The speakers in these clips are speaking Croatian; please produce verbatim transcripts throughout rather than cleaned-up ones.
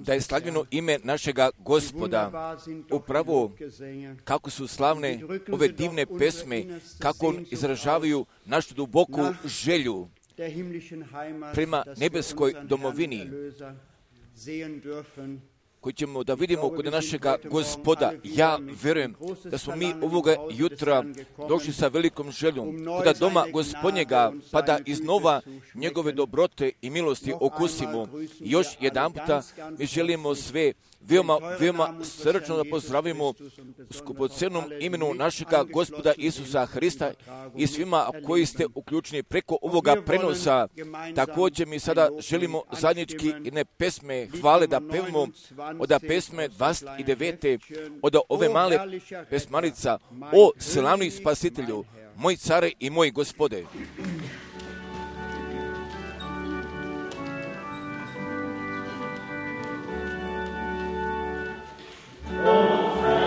Da je slavljeno ime našega Gospoda. Upravo kako su slavne ove divne pesme, kako on izražavaju našu duboku želju prema nebeskoj domovini, koji ćemo da vidimo kod našega Gospoda. Ja verujem da smo mi ovoga jutra došli sa velikom željom kod doma Gospodnjega, pa da iznova njegove dobrote i milosti okusimo. I još jedan puta mi želimo sve veoma, veoma srčno da pozdravimo u skupocenom imenu našega Gospoda Isusa Hrista i svima koji ste uključeni preko ovoga prenosa. Također mi sada želimo zajednički jedne pesme hvale da pevamo od pesme dvadeset devete od ove male pesmarica O slavni spasitelju, moj care i moj Gospode. Thank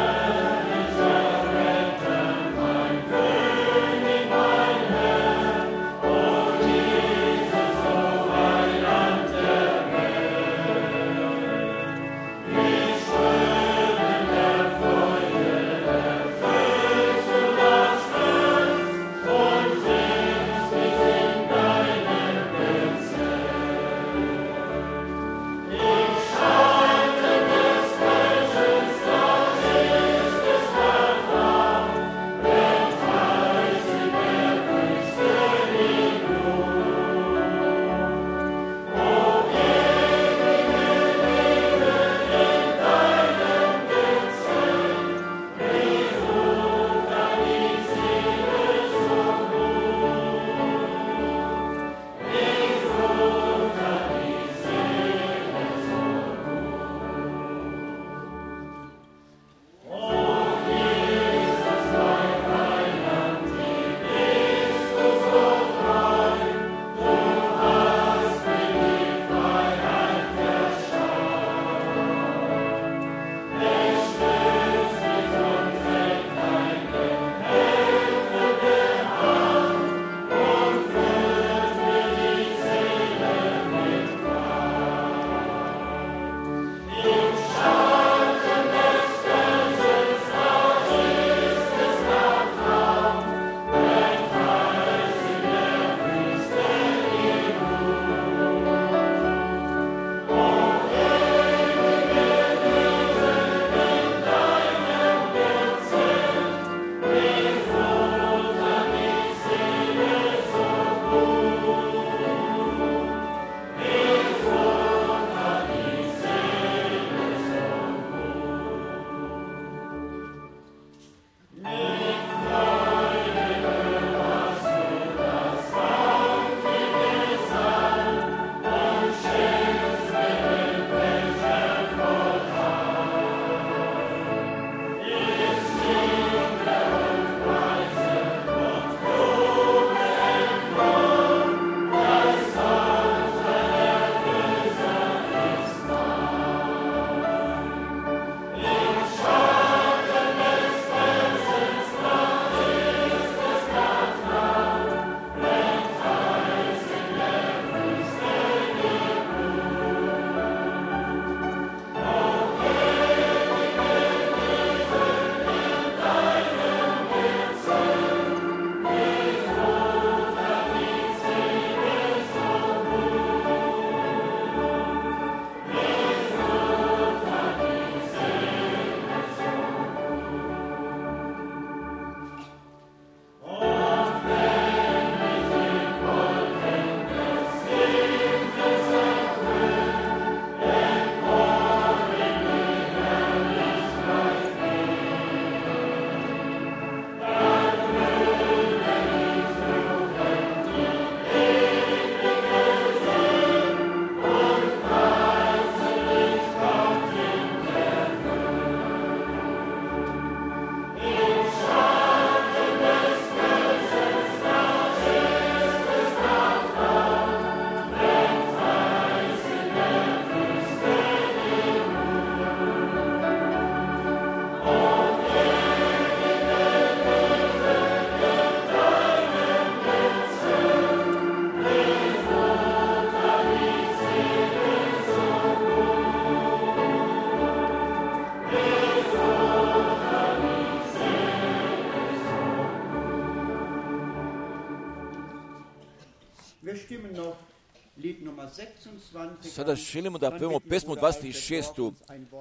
Sada želimo da pevamo pesmu dvadeset šestu,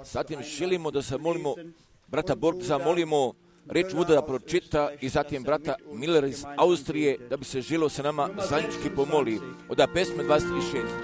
zatim želimo da zamolimo brata Borg, zamolimo reč Vuda da pročita i zatim brata Miller iz Austrije da bi se želio sa nama zajednički pomoli od pesme dvadeset šest.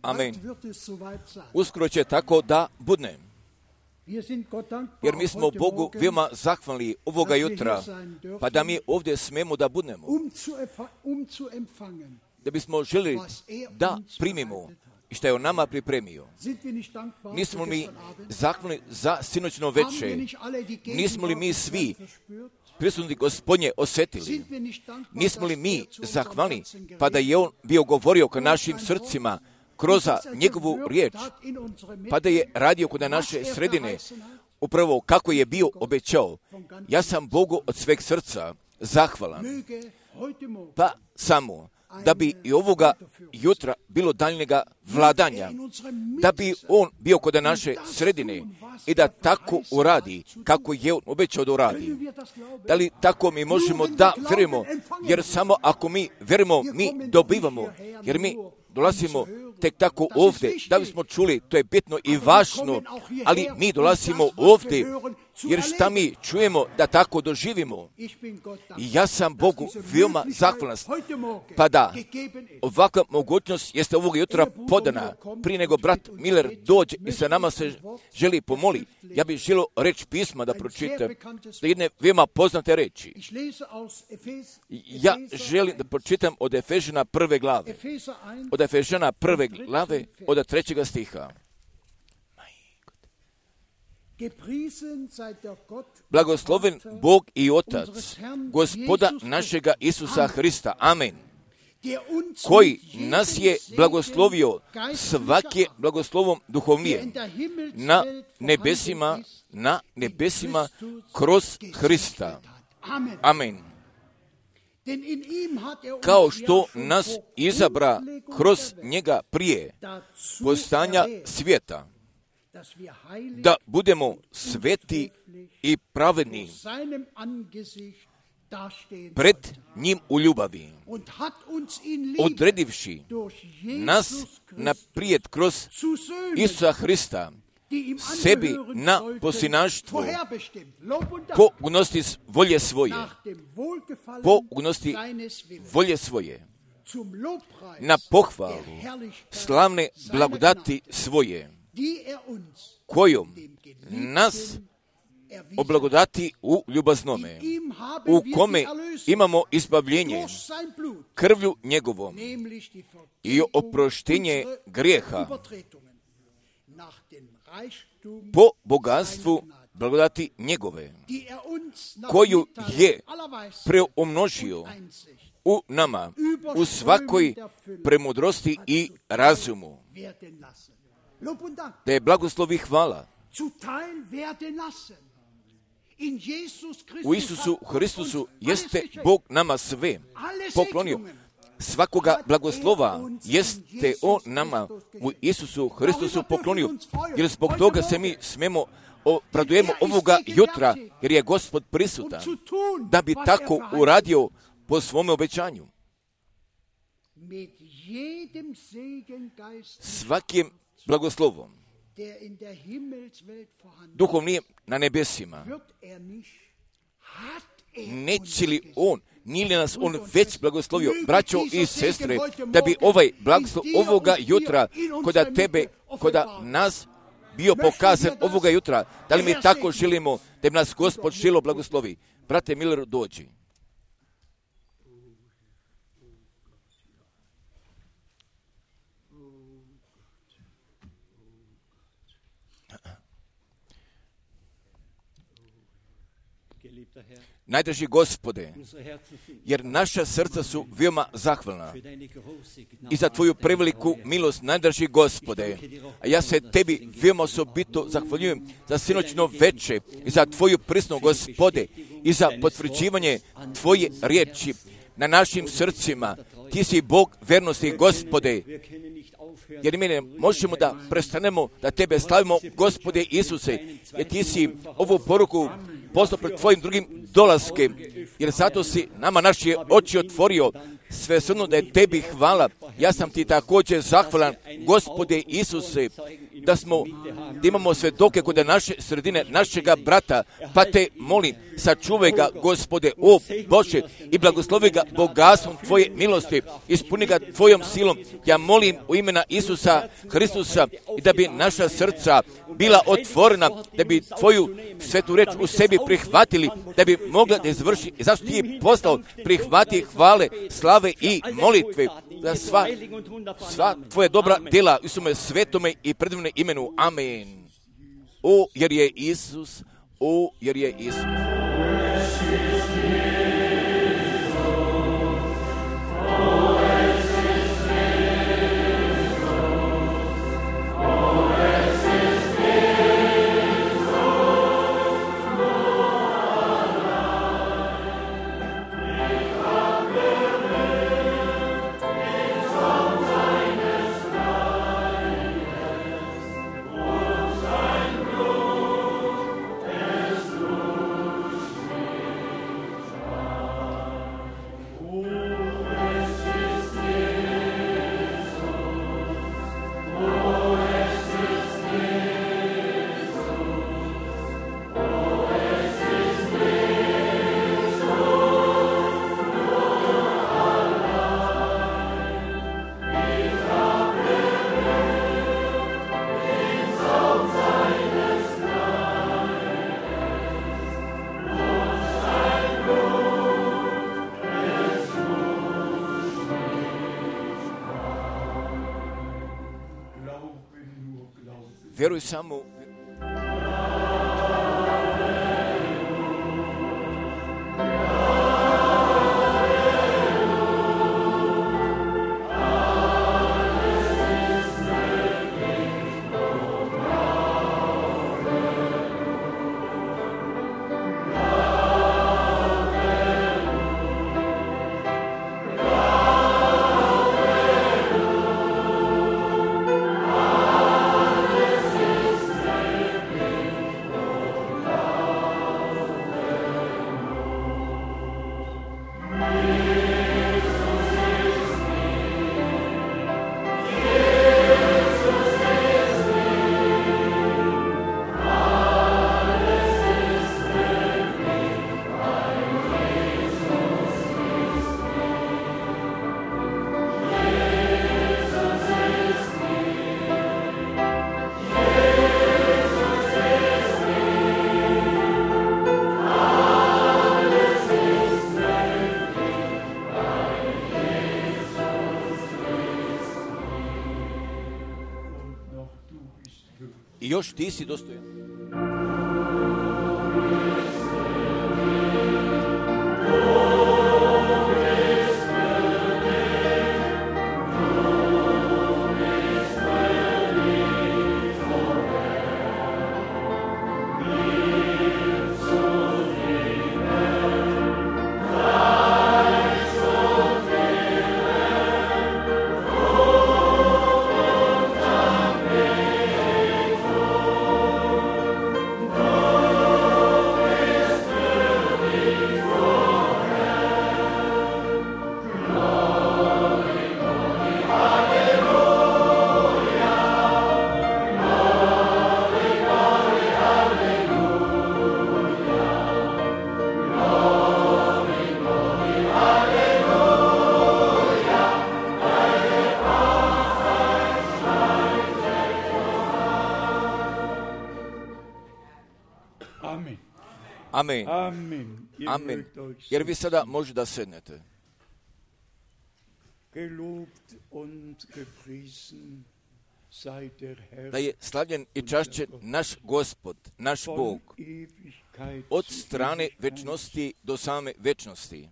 Amen. Uskoro će tako da budne. Jer mi smo Bogu veoma zahvalni ovoga jutra, pa da mi ovdje smemo da budnemo. Da bismo želi da primimo i što je on nama pripremio. Nismo li zahvalni za sinoćno veče? Nismo li mi svi prisutni Gospodnje osjetili? Nismo li mi zahvalni pa da je on bio govorio ka našim srcima kroz njegovu riječ, pa da je radio kod naše sredine, upravo kako je bio obećao. Ja sam Bogu od sveg srca zahvalan, pa samo da bi i ovoga jutra bilo daljnjega vladanja, da bi on bio kod naše sredine i da tako uradi kako je on obećao da uradi. Da li tako mi možemo da vjerujemo, jer samo ako mi vjerujemo, mi dobivamo, jer mi dolazimo tek tako ovdje, da bismo čuli, to je bitno i važno, ali mi dolazimo ovdje, jer šta mi čujemo da tako doživimo. I ja sam Bogu veoma zahvalan, pa da ovakva mogućnost jeste ovog jutra podana, prije nego brat Miller dođe i sa nama se želi pomoli. Ja bih želio reč pisma da pročitam, da jedne veoma poznate reči. Ja želim da pročitam od Efežana prve glave, od Efežana prve glave, od trećega stiha. Blagosloven Bog i Otac, Gospoda našega Isusa Hrista. Amen. Koji nas je blagoslovio svake blagoslovom duhovnije na nebesima, na nebesima kroz Hrista. Amen. kao što nas izabra kroz njega prije postanja svijeta, da budemo sveti i pravedni pred njim u ljubavi, odredivši nas naprijed kroz Isusa Hrista sebi na posinaštvo, po unosti volje svoje, po unosti volje svoje, na pohvalu slavne blagodati svoje, kojom nas oblagodati u ljubaznome, u kome imamo izbavljenje krvlju njegovom i oproštenje grijeha po bogatstvu blagodati njegove, koju je preumnožio u nama, u svakoj premudrosti i razumu. Da je blagoslov i hvala u Isusu Hristusu jeste Bog nama sve poklonio. Svakoga blagoslova jeste On nama u Isusu Hristusu poklonio. Jer zbog toga se mi smemo obradujemo ovoga jutra, jer je Gospod prisutan, da bi tako uradio po svome obećanju. Svakim blagoslovom duhovnim na nebesima, neće li On, nije li nas On već blagoslovio, braćo i sestre, da bi ovaj blagoslov ovoga jutra, koda tebe, koda nas bio pokazan ovoga jutra, da li mi tako želimo, da bi nas Gospod želo blagoslovi. Brate Miller, dođi. Najdraži Gospode, jer naša srca su veoma zahvalna i za Tvoju preveliku milost, najdraži Gospode, a ja se Tebi veoma osobito zahvaljujem za sinoćno veče i za Tvoju prisnu, Gospode, i za potvrđivanje Tvoje riječi na našim srcima. Ti si Bog vernosti, Gospode, jer mi ne možemo da prestanemo da Tebe slavimo, Gospode Isuse, jer Ti si ovu poruku poslao pred Tvojim drugim dolaskem, jer zato si nama naše oči otvorio, sve srno da je Tebi hvala. Ja sam Ti također zahvalan, Gospode Isuse, da smo, da imamo svedoke kod naše sredine, našega brata, pa Te molim, sačuvaj ga, Gospode, o Bože, i blagoslovi ga bogatstvom Tvoje milosti, ispuni ga Tvojom silom. Ja molim u imena Isusa Hristusa i da bi naša srca bila otvorena, da bi Tvoju svetu reč u sebi prihvatili, da bi mogla da izvrši, i zašto Ti je poslao, prihvati hvale, slave i molitve, za sva, sva Tvoje dobra djela u svome svetome i predivne imenu. Amen. O, jer je Isus, o, jer je Isus. Vjeruj samo. I još ti si dostojan. Amen. Amen. Amen. Jer vi sada možete da sednete. Da je slavljen i čašćen naš Gospod, naš Bog, od strane večnosti do same večnosti.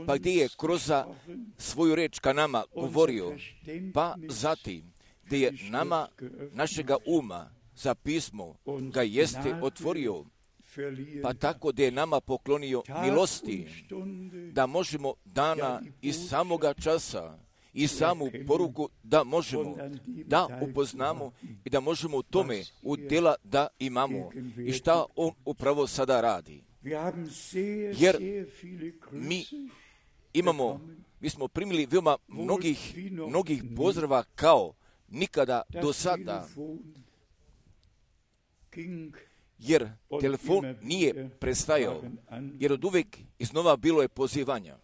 Pa gdje je kroz svoju reč ka nama govorio, pa zatim gdje je nama našega uma za pismo ga jeste otvorio, pa tako da je nama poklonio milosti, da možemo dana iz samoga časa i samu poruku da možemo da upoznamo i da možemo u tome udjela da imamo i šta on upravo sada radi. Jer mi imamo, mi smo primili veoma mnogih, mnogih pozdrava kao nikada do sada, jer telefon nije prestajao, jer od uvijek iznova bilo je pozivanja.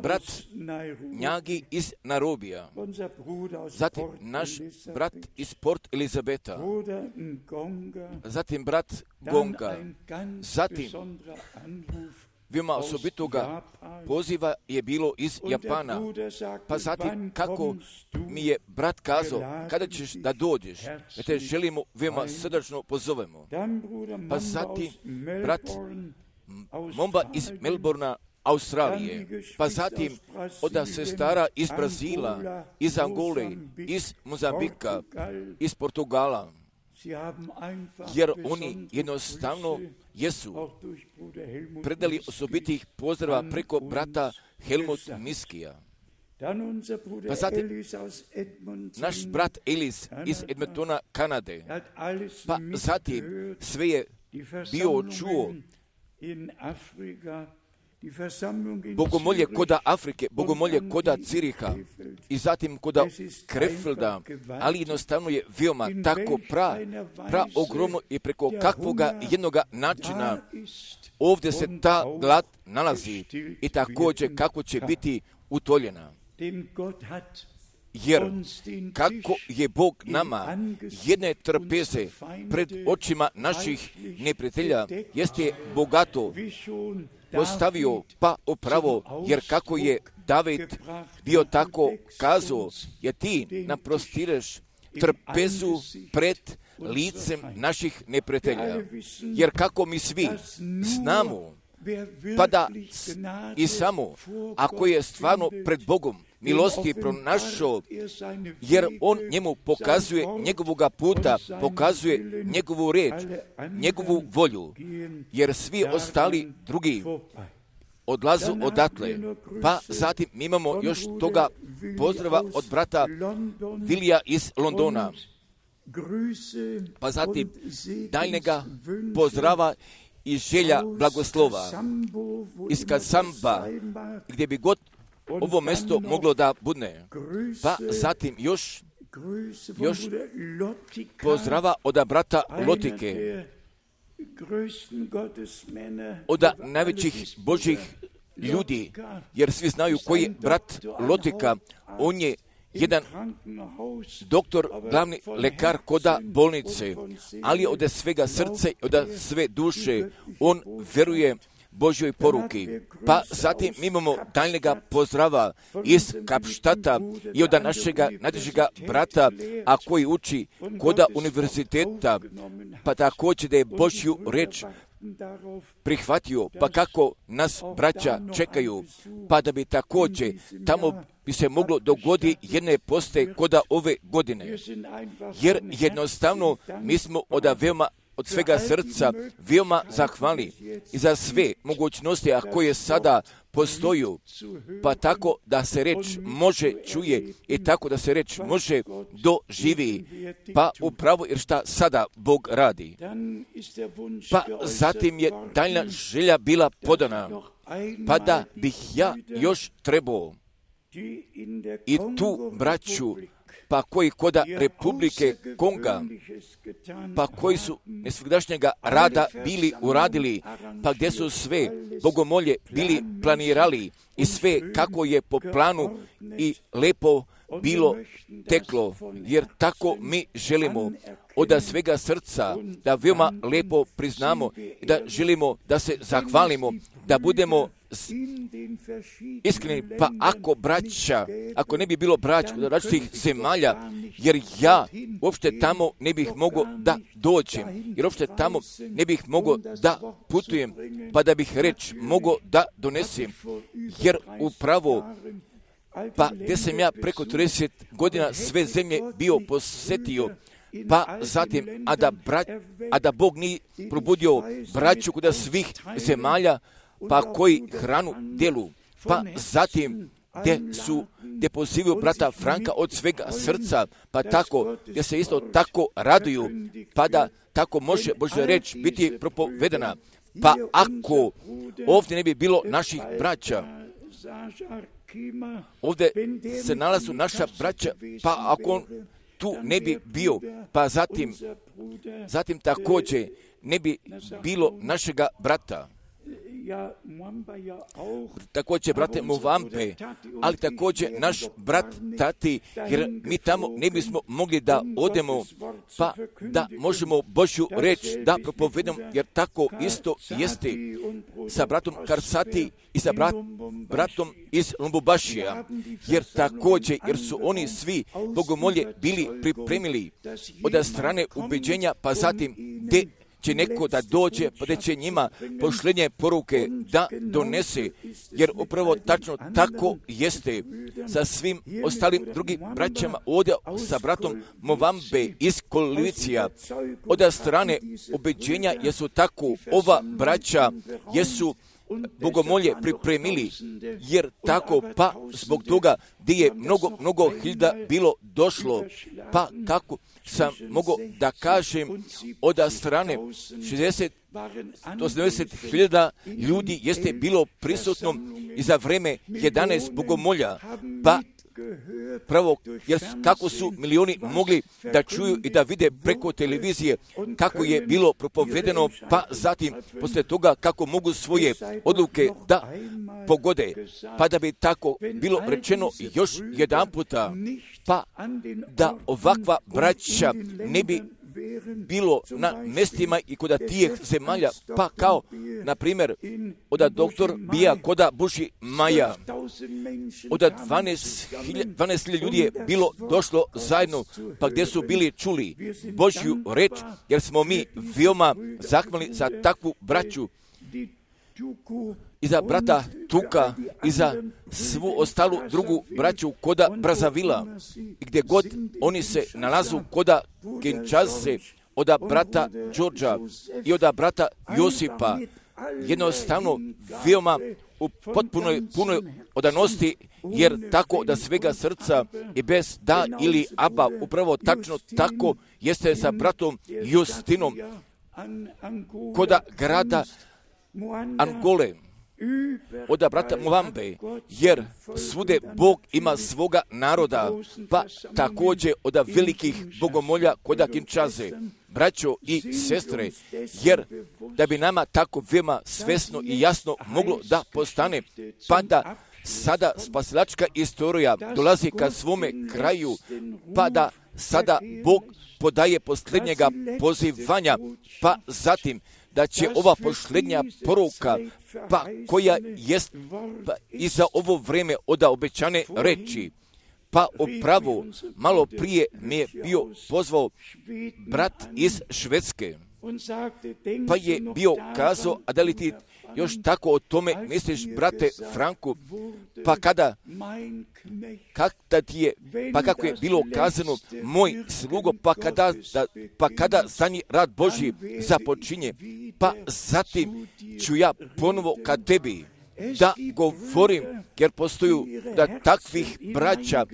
Brat Njagi iz Nairobija, zatim naš brat iz Port Elizabeta, zatim brat Gonga, zatim veoma osobitoga poziva je bilo iz Japana, pa zatim kako mi je brat kazao, kada ćeš da dođeš, da te želimo veoma srdačno pozovemo. Pa zatim brat Momba iz Melbourna, Australije, pa zatim od sestara iz Brazila, iz Angole, iz Mozambika, iz Portugala, jer oni jednostavno jesu predali osobitih pozdrava preko brata Helmut Miskija. Pa zatim naš brat Elis iz Edmontona, Kanade, pa zatim sve je bio čuo bogomolje koda Afrike, bogomolje koda Ciriha i zatim koda Krefelda, ali jednostavno je veoma tako pra, pra ogromno i preko kakvoga jednoga načina ovdje se ta glad nalazi i također kako će biti utoljena. Jer kako je Bog nama jedne trpeze pred očima naših neprijatelja jeste bogato postavio, pa upravo, jer kako je David bio tako kazao, jer ti naprostireš trpezu pred licem naših neprijatelja. Jer kako mi svi znamo, pa da i samo, ako je stvarno pred Bogom milosti pronašao, jer on njemu pokazuje njegovoga puta, pokazuje njegovu reč, njegovu volju, jer svi ostali drugi odlazu odatle. Pa zatim mi imamo još toga pozdrava od brata Vilija iz Londona, pa zatim daljnjega pozdrava i želja blagoslova iz Kasamba, gdje bi god ovo mjesto moglo da budne. Pa zatim još, još pozdrava od brata Lotike, od najvećih Božih ljudi, jer svi znaju koji je brat Lotika. On je jedan doktor, glavni lekar koda bolnice, ali od svega srce, od sve duše, on veruje Božjoj poruki. Pa zatim mi imamo daljnjega pozdrava iz Kapštata i od našega najdražega brata, a koji uči koda univerziteta, pa također da je Božju reč prihvatio, pa kako nas braća čekaju, pa da bi također tamo bi se moglo dogoditi jedne poste koda ove godine. Jer jednostavno mi smo od veoma od svega srca veoma zahvali i za sve mogućnosti a koje sada postoju, pa tako da se reč može čuje i tako da se reč može doživi, pa upravo jer šta sada Bog radi. Pa zatim je daljna želja bila podana, pa da bih ja još trebao i tu braću, pa koji koda Republike Konga, pa koji su nesvegdašnjega rada bili uradili, pa gdje su sve bogomolje bili planirali i sve kako je po planu i lepo bilo teklo, jer tako mi želimo od svega srca da veoma lepo priznamo i da želimo da se zahvalimo, da budemo iskreni, pa ako braća, ako ne bi bilo braća od različitih zemalja, jer ja uopšte tamo ne bih mogao da dođem, jer uopšte tamo ne bih mogao da putujem, pa da bih reč mogao da donesem, jer upravo pa gdje sam ja preko trideset godina sve zemlje bio posjetio, pa zatim, a da, bra, a da Bog nije probudio braću kod svih zemalja, pa koji hranu djelu, pa zatim gdje su, gdje pozivaju brata Franka od svega srca, pa tako, gdje se isto tako raduju, pa da tako može Božja reč biti propovedana. Pa ako ovdje ne bi bilo naših braća, ovdje se nalazu naša braća, pa ako on tu ne bi bio, pa zatim, zatim također ne bi bilo našega brata. Također brate Muvambe, ali također naš brat Tati, jer mi tamo ne bismo mogli da odemo, pa da možemo Božju reč da propovedamo, jer tako isto jeste sa bratom Karsati i sa brat, bratom iz Lumbubašija, jer također, jer su oni svi bogomolje bili pripremili od strane ubeđenja, pa zatim gdje će neko da dođe, pa da će njima pošlenje poruke da donese, jer upravo tačno tako jeste sa svim ostalim drugim braćama, ovdje sa bratom Movambe iz Kolicija, od strane ubeđenja, jesu tako ova braća, jesu bogomolje pripremili, jer tako, pa zbog toga gdje je mnogo, mnogo hiljada bilo došlo, pa kako sam mogao da kažem od strane šezdeset do sedamdeset hiljada ljudi jeste bilo prisutno i za vreme jedanaest bogomolja, pa pravo, jer kako su milioni mogli da čuju i da vide preko televizije kako je bilo propovedeno, pa zatim posle toga kako mogu svoje odluke da pogode, pa da bi tako bilo rečeno još jedan puta, pa da ovakva braća ne bi bilo na mestima i kod tijeh zemalja, pa kao, na primjer, od doktor Bija koda Buši Maja, od dvanaest hiljada ljudi je bilo došlo zajedno, pa gdje su bili čuli Božju reč, jer smo mi veoma zahvalni za takvu braću i za brata Tuka i za svu ostalu drugu braću koda Brazavila, gdje god oni se nalazu koda Kinshase, od brata Đorđa i od brata Josipa, jednostavno veoma u potpunoj punoj odanosti, jer tako da svega srca i bez da ili aba, upravo tačno tako jeste sa bratom Justinom koda grada Angole, od brata Muvambe, jer svude Bog ima svoga naroda, pa također od velikih bogomolja koda Kinshase, braćo i sestre, jer da bi nama tako veoma svesno i jasno moglo da postane, pa da sada spasilačka istorija dolazi ka svome kraju, pa da sada Bog podaje posljednjega pozivanja, pa zatim da će ova posljednja poruka, pa koja jest pa, i za ovo vrijeme od obećane reči, pa upravo malo prije mi je bio pozvao brat iz Švedske, pa je bio kazao, a da li ti još tako o tome misliš, brate Franku, pa kada, kada ti je, pa kako je bilo kazano, moj slugo, pa kada, da, pa kada zadnji rad Božji započinje, pa zatim ću ja ponovo ka tebi da govorim, jer postoju da takvih braća,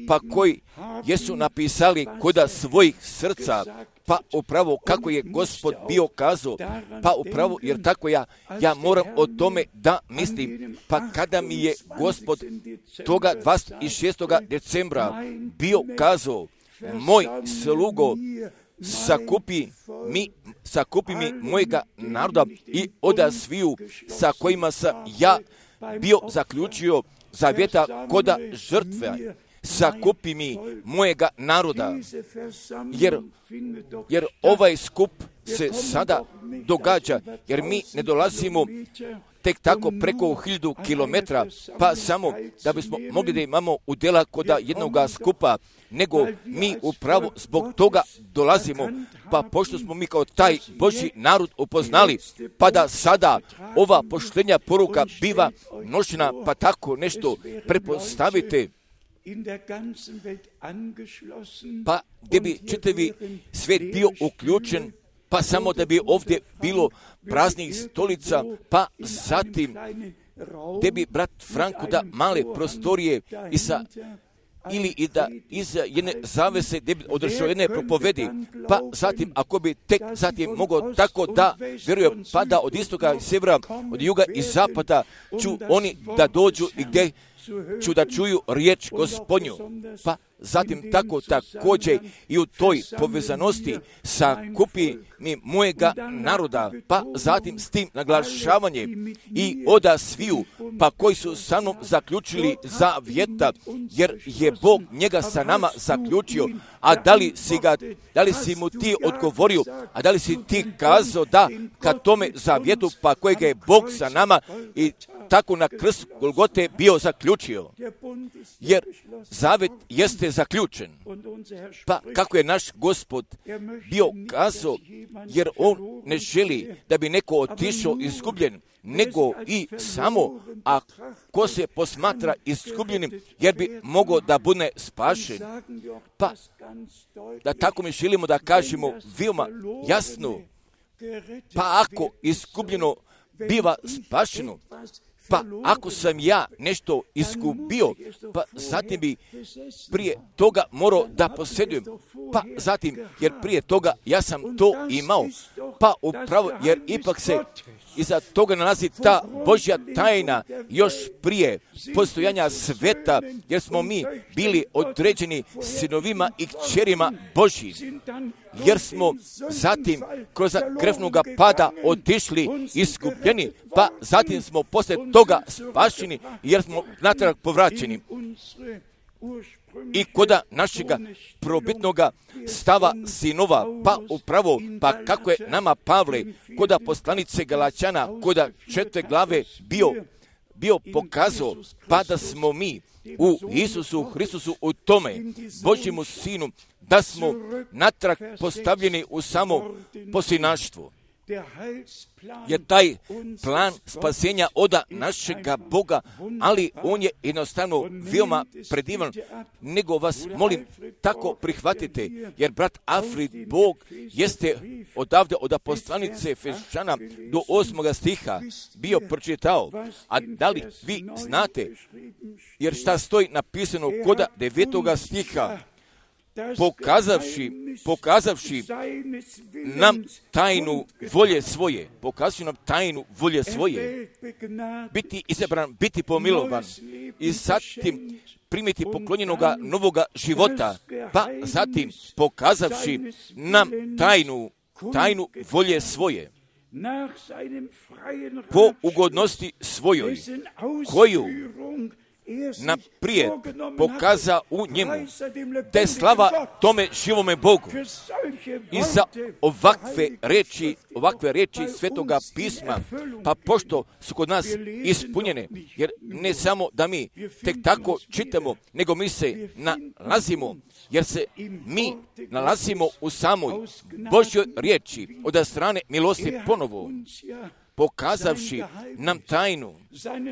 pa koji jesu napisali koda svojih srca, pa upravo kako je Gospod bio kazao, pa upravo, jer tako ja, ja moram o tome da mislim, pa kada mi je Gospod toga dvadeset šestog decembra bio kazao, moj slugo, sakupi mi, sakupi mi mojega naroda i oda sviju sa kojima sam ja bio zaključio zavjeta koda žrtve, sakupi mi mojega naroda, jer, jer ovaj skup se sada događa, jer mi ne dolazimo tek tako preko hiljadu kilometra, pa samo da bismo mogli da imamo udjela koda jednoga skupa, nego mi upravo zbog toga dolazimo, pa pošto smo mi kao taj Božji narod upoznali, pa da sada ova poštenja poruka biva nošena, pa tako nešto prepostavite, pa gdje bi čitavi svijet bio uključen, pa samo da bi ovdje bilo praznih stolica, pa zatim gdje bi brat Franko da male prostorije i sa ili i da iza jedne zavese gdje bi održao jedne propovedi, pa zatim ako bi tek zatim mogao tako da vjerujem, pa da od istoka i sjevera, od juga i zapada ću oni da dođu i gdje ću da čuju riječ Gospodnju, pa zatim tako također i u toj povezanosti sakupi mi mojega naroda, pa zatim s tim naglašavanje i oda sviju, pa koji su sa mnom zaključili zavjeta, jer je Bog njega sa nama zaključio, a da li si ga, da li si mu ti odgovorio, a da li si ti kazao da ka tome zavjetu, pa kojega je Bog sa nama i tako na krst Golgote bio zaključio, jer zavjet jeste zaključen. Pa kako je naš Gospod bio kazao, jer on ne želi da bi neko otišao izgubljen, nego i samo ako se posmatra izgubljenim, jer bi mogao da bude spašen. Pa da tako mi želimo da kažemo veoma jasno, pa ako izgubljeno biva spašeno, pa ako sam ja nešto izgubio, pa zatim bi prije toga morao da posjedujem, pa zatim, jer prije toga ja sam to imao, pa upravo, jer ipak se iza toga nalazi ta Božja tajna još prije postojanja sveta, jer smo mi bili određeni sinovima i kćerima Božjim, jer smo zatim kroz krvnoga pada otišli izgubljeni, pa zatim smo poslije toga spašeni, jer smo natrag povraćeni. I koda našega probitnoga stava sinova, pa upravo, pa kako je nama Pavle, koda poslanice Galačana, koda četiri glave bio, bio pokazao, pa da smo mi u Isusu Hristusu, u tome Božjemu Sinu, da smo natrag postavljeni u samo posljednaštvo. Jer taj plan spasenja oda našega Boga, ali on je jednostavno veoma predivan, nego vas molim tako prihvatite, jer brat Alfred Bog jeste odavde od poslanice Efešana do osmoga stiha bio pročitao, a da li vi znate, jer šta stoji napisano koda devetoga stiha, pokazavši, pokazavši nam tajnu volje svoje, pokazuju nam tajnu volje svoje, biti izabran, biti pomilovan i zatim primiti poklonjenoga novoga života, pa zatim pokazavši nam tajnu, tajnu volje svoje, po ugodnosti svojoj, koju naprijed pokaza u njemu, da je slava tome živome Bogu, i za ovakve reči, ovakve reči Svetoga pisma, pa pošto su kod nas ispunjene, jer ne samo da mi tek tako čitamo, nego mi se nalazimo, jer se mi nalazimo u samoj Božjoj riječi od strane milosti ponovo, pokazavši nam tajnu,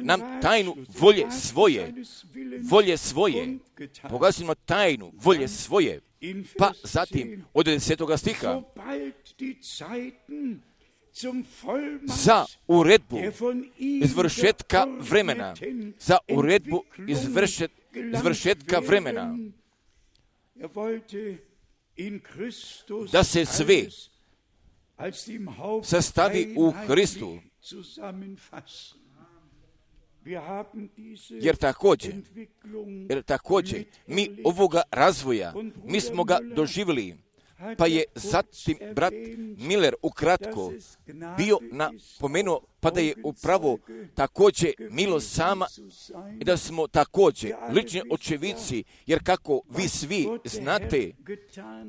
nam tajnu volje svoje, volje svoje, pokazimo tajnu volje svoje, pa zatim od desetoga stiha, za uredbu izvršetka vremena, za uredbu izvršet, izvršetka vremena, da se sve sastavi u Hristu, jer također, jer također mi ovoga razvoja, mi smo ga doživjeli, pa je zatim brat Miller ukratko bio napomenuo, pa da je upravo također milost sama i da smo također lični očevici, jer kako vi svi znate,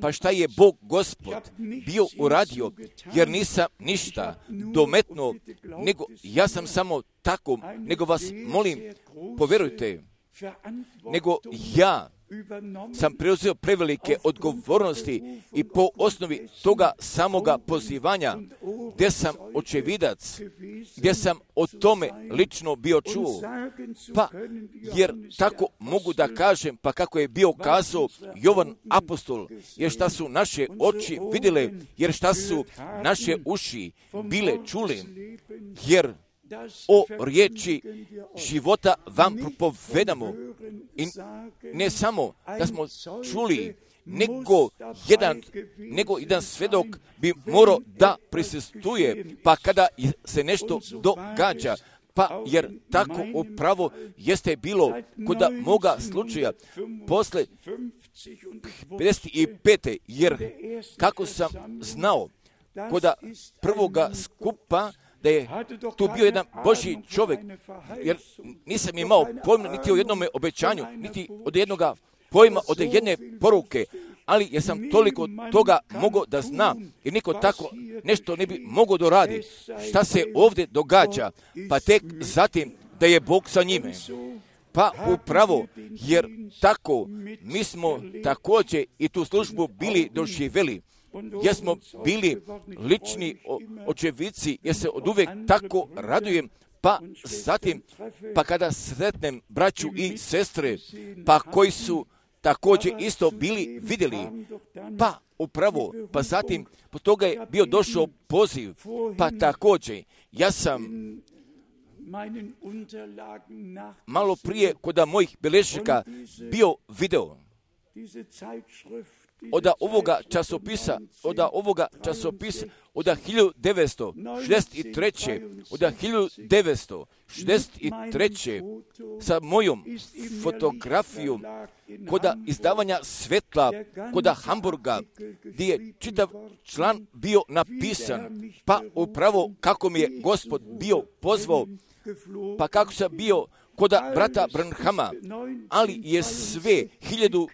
pa šta je Bog Gospod bio uradio, jer nisam ništa dometno, nego ja sam samo tako, nego vas molim, povjerujte, nego ja sam preuzeo prevelike odgovornosti i po osnovi toga samoga pozivanja, gdje sam očevidac, gdje sam o tome lično bio čuo, pa jer tako mogu da kažem, pa kako je bio kazao Jovan apostol, jer šta su naše oči vidjele, jer šta su naše uši bile čuli, jer o riječi života vam propovedamo. I ne samo da smo čuli, nego jedan, nego jedan svedok bi morao da prisustvuje, pa kada se nešto događa, pa jer tako upravo jeste bilo kod moga slučaja posle pedeset pete jer kako sam znao kod prvoga skupa, da je tu bio jedan Božji čovjek, jer nisam imao pojma niti o jednome obećanju, niti od jednoga pojma, od jedne poruke, ali jer sam toliko toga mogao da zna, jer niko tako nešto ne bi mogao doradi. Šta se ovdje događa, pa tek zatim da je Bog sa njime. Pa upravo, jer tako mi smo također i tu službu bili doživjeli, jer smo bili lični očevici, jer se od uvijek tako radujem, pa zatim, pa kada sretnem braću i sestre, pa koji su također isto bili vidjeli, pa upravo, pa zatim, po toga je bio došao poziv, pa također, ja sam malo prije kod mojih beležnika bio video od ovoga časopisa, od ovoga časopisa, od hiljadu devetsto šezdeset treće. od hiljadu devetsto šezdeset treće. sa mojom fotografijom kod izdavanja Svetla, kod Hamburga, gdje je čitav član bio napisan, pa upravo kako mi je Gospod bio pozvao, pa kako sam bio kod brata Branhama, ali je sve hiljadu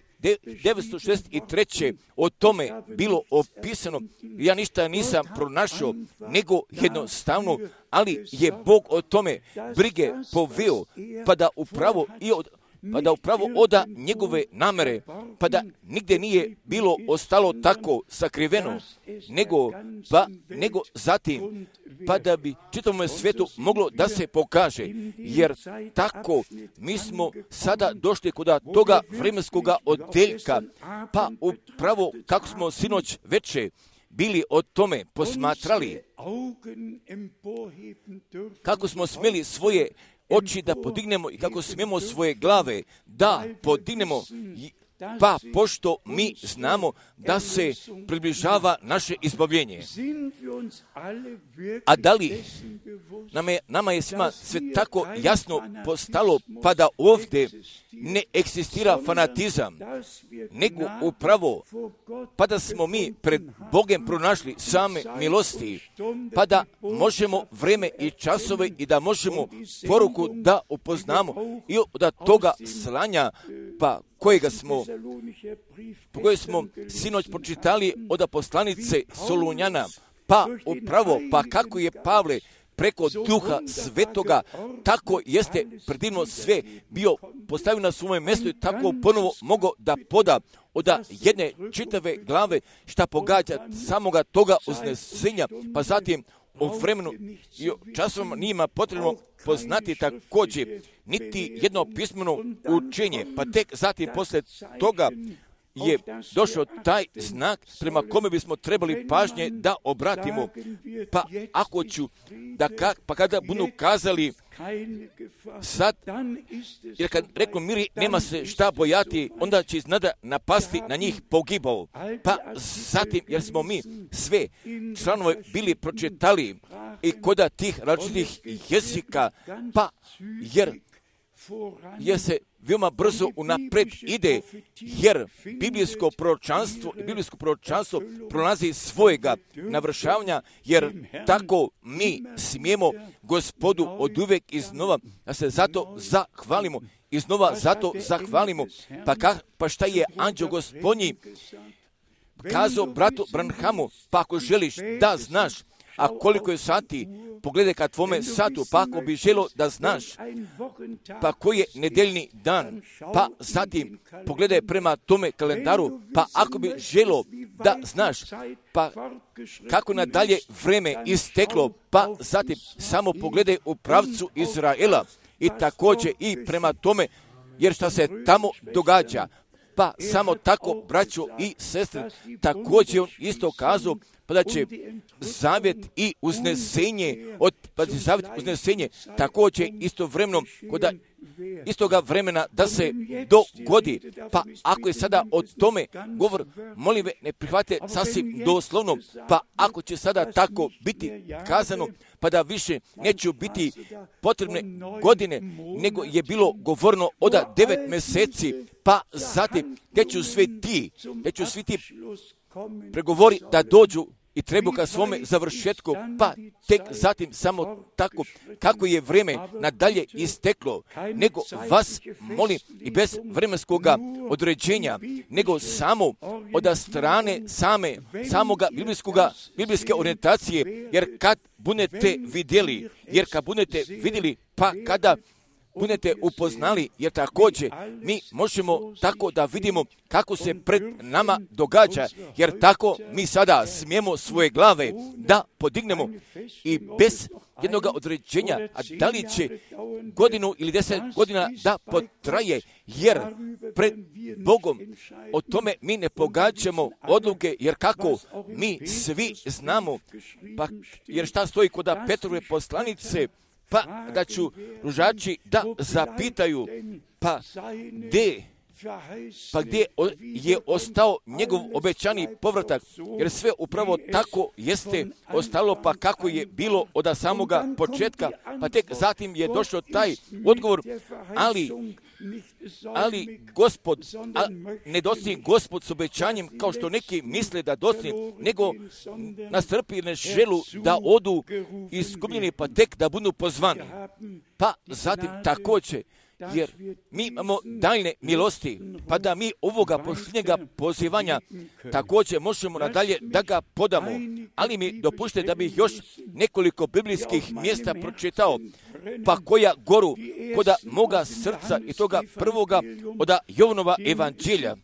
devetsto šezdeset treće. o tome bilo opisano. Ja ništa nisam pronašao, nego jednostavno, ali je Bog o tome brige poveo, pa da upravo i od pa da upravo oda njegove namere, pa da nigdje nije bilo ostalo tako sakriveno, nego, pa, nego zatim, pa da bi čitavom svijetu moglo da se pokaže, jer tako mi smo sada došli kod toga vremenskog odeljka, pa upravo kako smo sinoć veče bili o tome posmatrali, kako smo smjeli svoje oči da podignemo i kako smijemo svoje glave da podignemo, pa pošto mi znamo da se približava naše izbavljenje. A da li nama je, nama je svima sve tako jasno postalo, pa da ovdje ne eksistira fanatizam, nego upravo pa da smo mi pred Bogem pronašli same milosti, pa da možemo vreme i časove i da možemo poruku da upoznamo i od toga slanja pa kojega smo, po kojeg smo sinoć pročitali od poslanice Solunjana, pa upravo, pa kako je Pavle preko Duha Svetoga, tako jeste predivno sve bio postavio na svoje mjesto i tako ponovo mogao da poda od jedne čitave glave šta pogađa samoga toga uznesenja, pa zatim o vremenu i o časovima njima potrebno poznati također niti jedno pismeno učenje, pa tek zatim posle toga je došao taj znak prema kome bismo trebali pažnje da obratimo. Pa ako ću, da ka, pa kada budu kazali sad, jer kad reknu miri nema se šta bojati, onda će iznada napasti na njih pogibao. Pa zatim, jer smo mi sve članove bili pročitali i koda tih različitih jezika, pa jer jer se veoma brzo unapred ide, jer biblijsko proročanstvo i biblijsko proročanstvo prolazi svojega navršavanja, jer tako mi smijemo Gospodu od uvijek iznova da se zato zahvalimo, iznova zato zahvalimo. Pa, ka, pa šta je anđeo Gospodnji kazao bratu Branhamu, pa ako želiš da znaš, a koliko je sati, pogledaj ka tvome satu, pa ako bi želo da znaš, pa koji je nedeljni dan, pa zatim pogledaj prema tome kalendaru, pa ako bi želo da znaš, pa kako nadalje vreme isteklo, pa zatim samo pogledaj u pravcu Izraela i također i prema tome, jer šta se tamo događa, pa samo tako, braćo i sestre, također on isto kazao, pa da će zavjet i uznesenje, od, pa će zavjet i uznesenje također istovremeno, kod istoga vremena da se dogodi. Pa ako je sada o tome govor, molim ve, ne prihvate sasvim doslovno, pa ako će sada tako biti kazano, pa da više neće biti potrebne godine, nego je bilo govorno od devet mjeseci, pa zatim gdje ću sve ti, gdje ću svi ti pregovori da dođu i treba ka svome završetku, pa tek zatim samo tako kako je vrijeme nadalje isteklo, nego vas molim i bez vremenskog određenja, nego samo od strane same, samoga biblijskoga, biblijske orijentacije, jer kad budete vidjeli, jer kad budete vidjeli, pa kada budete upoznali, jer također mi možemo tako da vidimo kako se pred nama događa, jer tako mi sada smijemo svoje glave da podignemo i bez jednog određenja, a da li će godinu ili deset godina da potraje, jer pred Bogom o tome mi ne pogađamo odluke, jer kako mi svi znamo, pa jer šta stoji kod Petrove poslanice, pa da ću ružači da zapitaju, pa gdje, pa gdje je ostao njegov obećani povratak, jer sve upravo tako jeste ostalo, pa kako je bilo od samoga početka, pa tek zatim je došao taj odgovor, ali, ali Gospod, a ne dostigne Gospod s obećanjem kao što neki misle da dostigne, nego nastrpi ne želu da odu iskupljeni, pa tek da budu pozvani. Pa zatim također, jer mi imamo daljne milosti, pa da mi ovoga posljednjega pozivanja također možemo nadalje da ga podamo, ali mi dopušte da bih još nekoliko biblijskih mjesta pročitao, pa koja goru koda moga srca i toga prvoga od Jovanova evanđelja,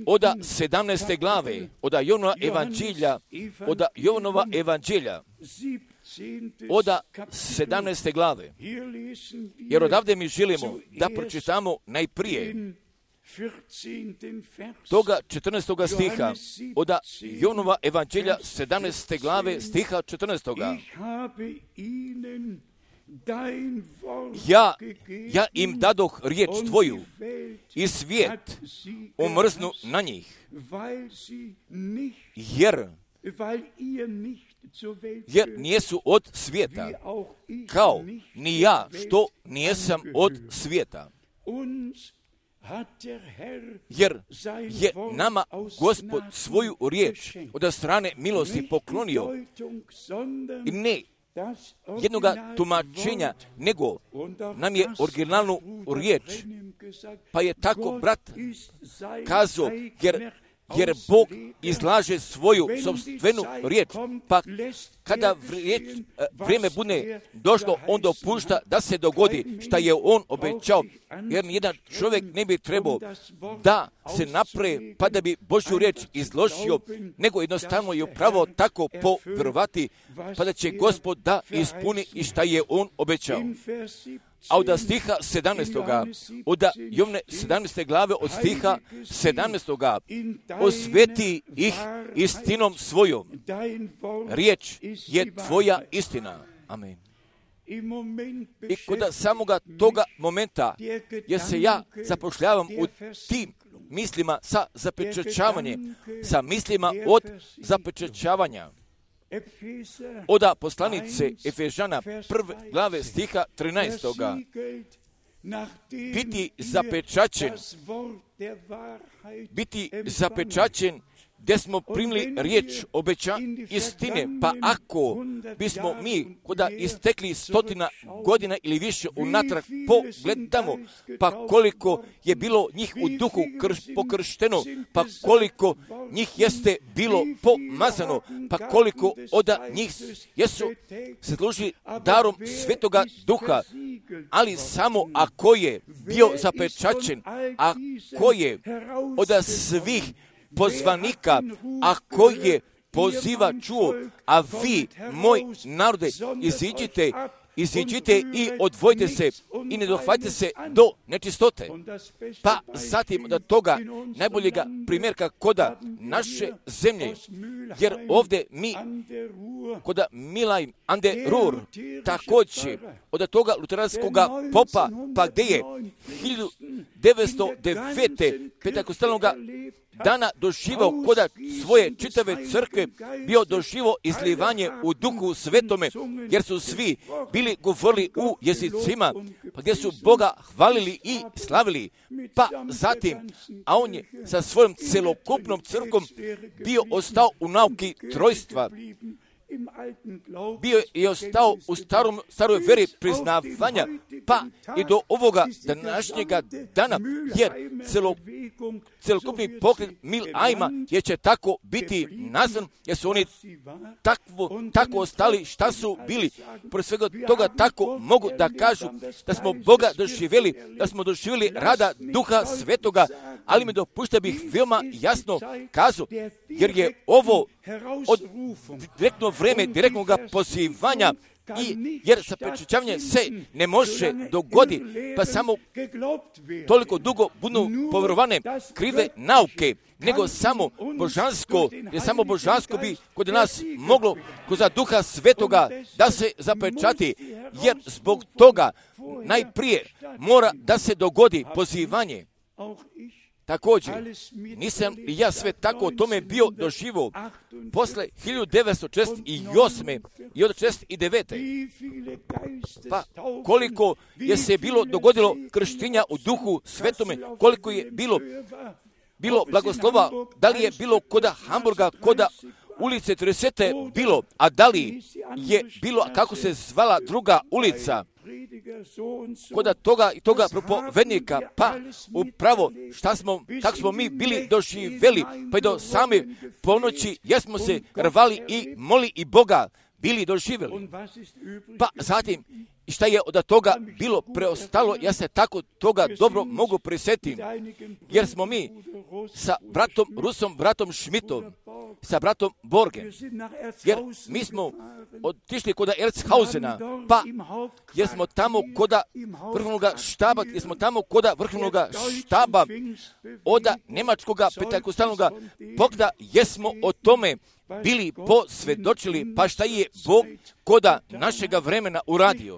od sedamnaeste glave, od Jovanova evanđelja, od Jovanova evanđelja, od sedamnaeste glave. Jer odavde mi želimo da pročitamo najprije toga četrnaestoga stiha, od Jovanova evanđelja sedamnaeste glave stiha četrnaestoga. Ja, ja im dadoh riječ tvoju i svijet omrznu na njih, jer jer nijesu od svijeta, kao ni ja što nijesam od svijeta. Jer je nama Gospod svoju riječ od strane milosti poklonio i ne jednoga tumačenja, nego nam je originalnu riječ Pa je tako brat kazao, jer, jer Bog izlaže svoju sopstvenu riječ, pa kada riječ, vrijeme bude došlo, on dopušta da se dogodi šta je on obećao, jer jedan čovjek ne bi trebao da se napre pa da bi Božju riječ izložio, nego jednostavno je upravo tako povjerovati, pa da će Gospod da ispuni i šta je on obećao. A od stiha sedamnaestoga, od Jovne sedamnaeste glave, od stiha sedamnaestoga, osveti ih istinom svojom. Riječ je tvoja istina. Amen. I kod samoga toga momenta, jer se ja zapošljavam u tim mislima sa zapečaćavanjem, sa mislima od zapečaćavanja. Oda poslanice Efežana prve glave stiha trinaestoga. Biti zapečaćen, biti zapečaćen gdje smo primili riječ obeća istine, pa ako bismo mi koda istekli stotina godina ili više unatrag pogledamo, pa koliko je bilo njih u duhu krš, pokršteno, pa koliko njih jeste bilo pomazano, pa koliko od njih jesu se služili darom Svetoga Duha, ali samo ako je bio zapečaćen, ako je od svih pozvanika, ako je poziva čuo, a vi, moj narode, iziđite, iziđite i odvojite se i ne dohvatite se do nečistote. Pa zatim od toga najboljega primjerka koda naše zemlje, jer ovdje mi koda Milaj ande Ruhr, također od toga luteranskog popa, pa gdje je hiljadu devetsto devete pentakostalnog dana doživao koda svoje čitave crkve, bio doživao izlivanje u duhu svetome, jer su svi bili govorili u jezicima, pa gdje su Boga hvalili i slavili. Pa zatim, a on je sa svojom celokupnom crkvom bio ostao u nauki trojstva, bio je ostao u starom, staroj veri priznavanja, pa i do ovoga današnjega dana, jer celo, celokupni pokret Milajma je će tako biti nazvan, jer su oni takvo, tako ostali šta su bili. Pored svega toga tako mogu da kažu da smo Boga doživjeli, da smo doživjeli rada Duha Svetoga, ali mi dopušta bih veoma jasno kazao, jer je ovo od direktno vreme direktnog pozivanja, i jer zapečaćavanje se ne može dogodi, pa samo toliko dugo budu povjerovane krive nauke, nego samo božansko, jer samo božansko bi kod nas moglo kroz Duha Svetoga da se zapečati, jer zbog toga najprije mora da se dogodi pozivanje. Također, nisam i ja sve tako o tome bio doživio posle hiljadu devetsto šezdeset osme i od šezdeset devete. Pa koliko je se bilo dogodilo krštenja u Duhu Svetome, koliko je bilo bilo blagoslova, da li je bilo koda Hamburga, koda ulice tridesete bilo, a da li je bilo, kako se zvala druga ulica, koda toga i toga propovednika, pa upravo šta smo, kako smo mi bili doživjeli, pa i do same ponoći jesmo se rvali i moli i Boga bili doživjeli. Pa zatim, šta je od toga bilo preostalo, ja se tako toga dobro mogu prisjetiti, jer smo mi sa bratom Rusom, bratom Schmidtom, sa bratom Borgem, jer mi smo otišli kod Erzhausena, pa jer smo tamo kod vrhovnog štaba, jer smo tamo kod vrhovnog štaba od njemačkog pentakostalnog pokda, jesmo o tome bili posvjedočili, pa šta je Bog koda našega vremena uradio.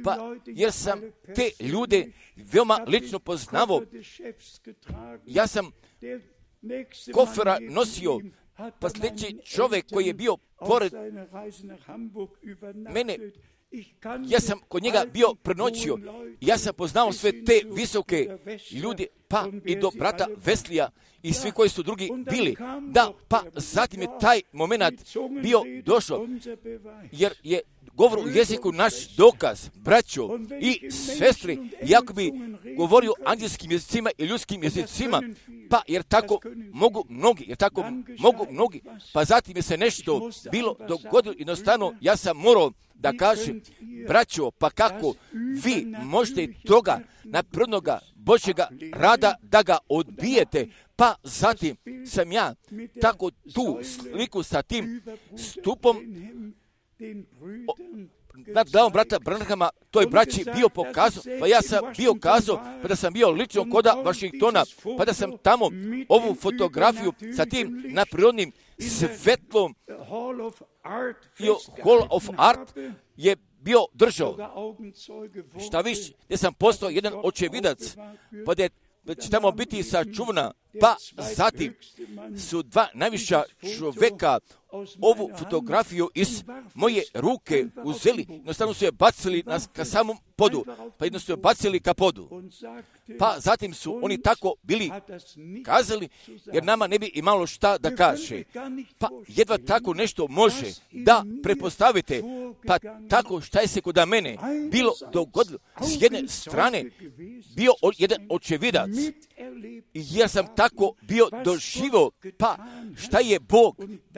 Pa jer sam te ljude veoma lično poznavao, ja sam kofera nosio, pa sljedeći čovjek koji je bio pored mene, ja sam kod njega bio prenoćio, ja sam poznao sve te visoke ljude, pa i do brata Veslija i svi koji su drugi bili. Da, pa zatim je taj moment bio došao, jer je govor u jeziku naš dokaz, braćo i sestri, iako bi govorio anđelskim jezicima i ljudskim jezicima, pa jer tako mogu mnogi, jer tako mogu mnogi, pa zatim je se nešto bilo dogodilo, jednostavno ja sam morao da kažem, braćo, pa kako vi možete toga naprednoga Božjega rada da ga odbijete, pa zatim sam ja tako tu sliku sa tim stupom nad glavom brata Branhama toj braći bio pokazao, pa ja sam bio kazao, pa da sam bio lično koda Vašingtona, pa da sam tamo ovu fotografiju sa tim naprirodnim svetlom i Hall of Art je bio držao. Šta više, gdje sam postao jedan očevidac, pa da će tamo biti sačuvana, pa zatim su dva najviša čoveka ovu fotografiju iz moje ruke uzeli, jednostavno su je bacili na, ka samom podu, pa jednostavno su je bacili ka podu. Pa zatim su oni tako bili kazali, jer nama ne bi imalo šta da kaže. Pa jedva tako nešto može da prepostavite, pa tako šta je se kod mene bilo dogodilo. S jedne strane bio jedan očevidac, jer sam tako bio doživio, pa šta je Bog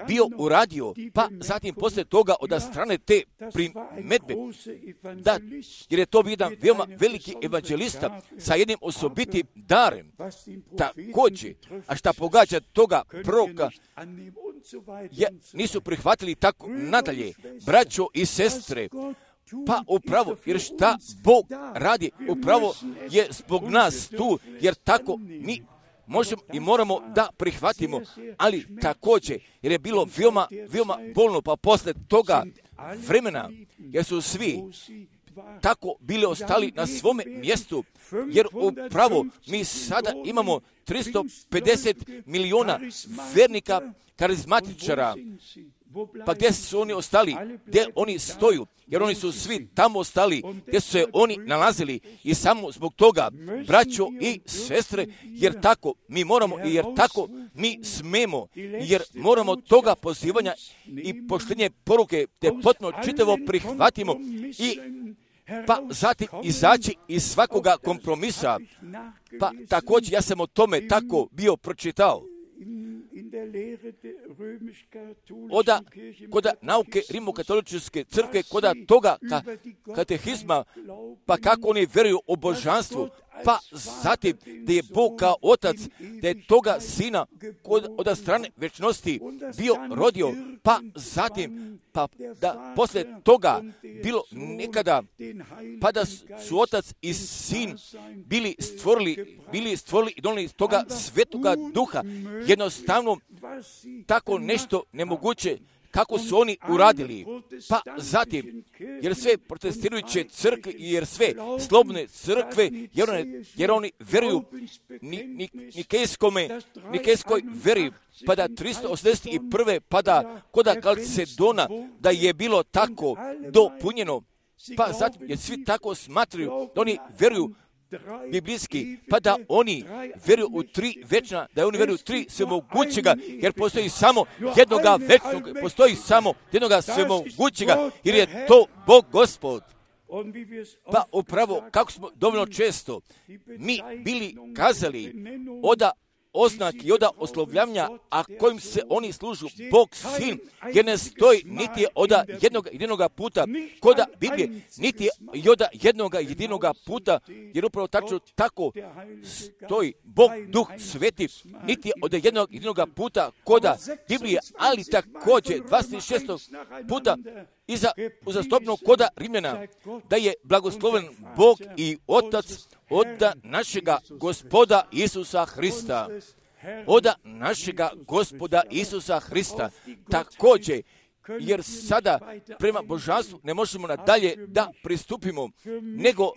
bio uradio, pa zatim poslije toga od strane te primetbe, da, jer je to bio jedan veoma veliki evanđelista sa jednim osobitim darem, također, a šta pogađa toga proroka, je, nisu prihvatili tako nadalje, braćo i sestre, pa upravo, jer šta Bog radi, upravo je zbog nas tu, jer tako mi možemo i moramo da prihvatimo, ali također, jer je bilo veoma, veoma bolno, pa posle toga vremena, jer su svi tako bili ostali na svome mjestu, jer upravo mi sada imamo tristo pedeset miliona vernika karizmatičara. Pa gdje su oni ostali? Gdje oni stoju? Jer oni su svi tamo ostali, gdje su se oni nalazili. I samo zbog toga, braćo i sestre, jer tako mi moramo i jer tako mi smemo, jer moramo toga pozivanja i poštenje poruke te potpuno čitavo prihvatimo i pa zatim izaći iz svakoga kompromisa. Pa također ja sam o tome tako bio pročitao. Oda, koda nauke rimokatoličke crkve, koda toga ka, katehizma, pa kako oni vjeruju o božanstvu, pa zatim da je Bog kao otac, da je toga sina kod, od strane večnosti bio rodio, pa zatim, pa da poslije toga bilo nekada, pa da su otac i sin bili stvorili, bili stvorili i donijeli toga svetoga duha, jednostavno tako nešto nemoguće, kako su oni uradili, pa zatim, jer sve protestirajuće crkve, jer sve slobodne crkve, jer, one, jer oni veruju ni, ni, nikejskome, nikejskoj veri, pa da tristo osamdeset prve pa da koda Kalcedona, da je bilo tako dopunjeno, pa zatim, jer svi tako smatraju, da oni veruju biblijski, pa da oni vjeruju u tri večna, da oni vjeruju u tri svemogućega, jer postoji samo jednoga večnog, postoji samo jednoga svemogućega, jer je to Bog Gospod. Pa upravo, kako smo dovoljno često mi bili kazali oda oznak i oda oslovljavanja, a kojim se oni služu, Bog Sin, jer ne stoji niti oda jednog jedinoga puta koda Biblije, niti oda jednoga jedinoga puta, jer upravo tačno tako stoji Bog Duh Sveti, niti oda jednog jedinoga puta koda Biblije, ali također dvadeset šest puta iza uzastopnog koda Rimljana, da je blagosloven Bog i Otac oda našega Gospoda Isusa Hrista. Oda našega Gospoda Isusa Hrista. Također, jer sada prema božanstvu ne možemo nadalje da pristupimo, nego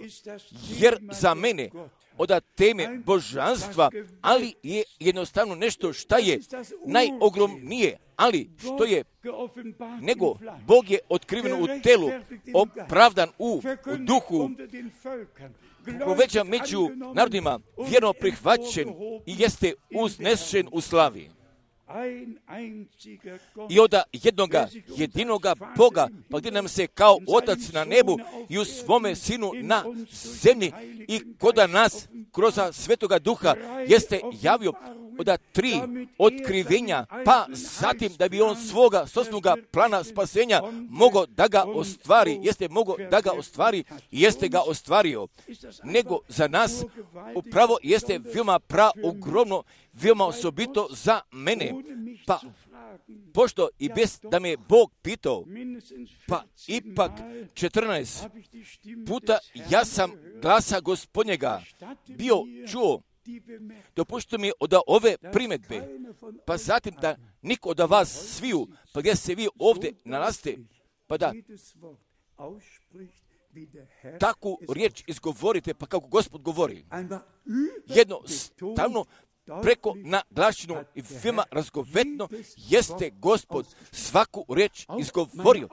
jer za mene od teme božanstva, ali je jednostavno nešto šta je najogromnije, ali što je, nego Bog je otkriven u telu, opravdan u, u duhu, povećan među narodima, vjerno prihvaćen i jeste uznešen u slavi. I od jednoga jedinoga Boga, pa gdje nam se kao Otac na nebu i u svome Sinu na zemlji i koda nas kroz Svetoga Duha jeste javio od tri otkrivenja, pa zatim da bi on svoga sosnoga plana spasenja mogao da ga ostvari, jeste mogao da ga ostvari i jeste ga ostvario. Nego za nas upravo jeste veoma praogromno, veoma osobito za mene. Pa pošto i bez da me Bog pitao, pa ipak četrnaest puta ja sam glasa Gospodnjega bio čuo. Dopušćite mi od ove primjedbe, pa zatim da niko od vas sviju, pa gdje se vi ovdje nalazite, pa da takvu riječ izgovorite, pa kako Gospod govori. Jednostavno, preko naglašenu i veoma razgovetno jeste Gospod svaku riječ izgovorio.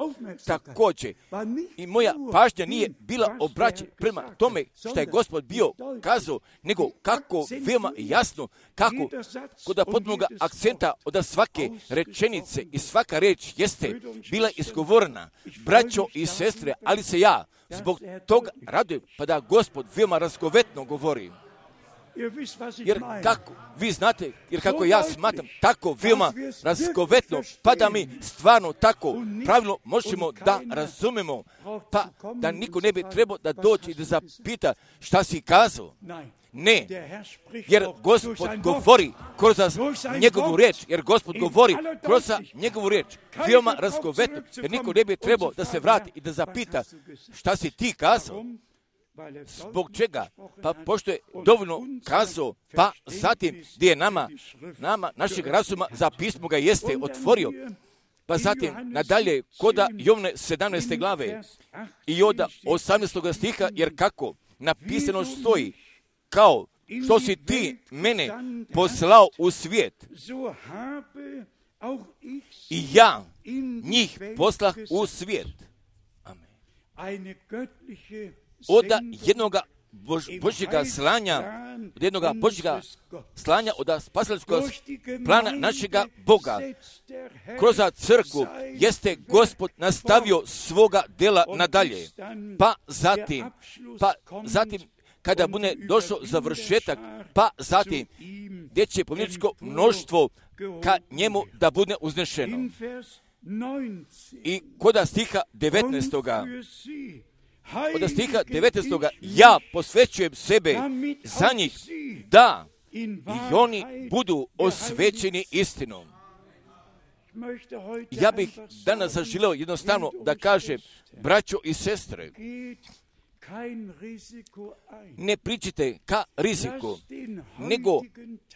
Također, i moja pažnja nije bila obraćena prema tome što je Gospod bio kazao, nego kako veoma jasno, kako kod potpunog akcenta od svake rečenice i svaka reč jeste bila izgovorena. Braćo i sestre, ali se ja zbog toga radujem, pa da Gospod veoma razgovetno govori. Jer kako, vi znate, jer kako ja smatram, tako veoma razgovetno, pa da mi stvarno tako pravilno možemo da razumemo, pa da niko ne bi trebao da dođe i da zapita šta si kazao. Ne, jer Gospod govori kroz njegovu riječ, jer Gospod govori kroz njegovu riječ, veoma razgovetno, jer niko ne bi trebao da se vrati i da zapita šta si ti kazao. Zbog čega? Pa pošto je dovoljno kazao, pa zatim gdje je nama, nama, našeg razuma za pismo ga jeste otvorio, pa zatim nadalje koda Jovne sedamnaeste glave i od osamnaestog stiha, jer kako napisano stoji, kao što si ti mene poslao u svijet, i ja njih poslah u svijet. Amen. Od jednoga Bož, Božjega slanja, od jednoga Božjega slanja, od spasilačkog plana našega Boga, kroz crkvu jeste Gospod nastavio svoga dela nadalje. Pa zatim, pa zatim, kada bude došao završetak, pa zatim, gdje će pomničko mnoštvo ka njemu da bude uznešeno. I koda stiha devetnaestoga od stiha devetnaestoga ja posvećujem sebe za njih, da i oni budu osvećeni istinom. Ja bih danas zaželeo jednostavno da kažem, braćo i sestre, ne pričite ka riziku, nego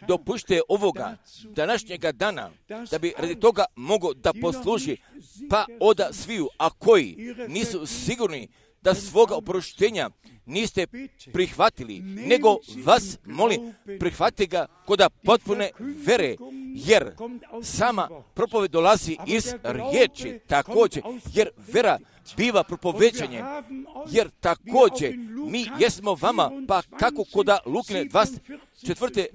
dopušte ovoga današnjega dana, da bi radi toga mogo da posluži, pa oda sviju, a koji nisu sigurni da svoga oproštenja niste prihvatili, nego vas molim, prihvatite ga koda potpune vere, jer sama propoved dolazi iz riječi, također, jer vera biva propoveđanje, jer također mi jesmo vama, pa kako koda Lukine dvadeset četvrte,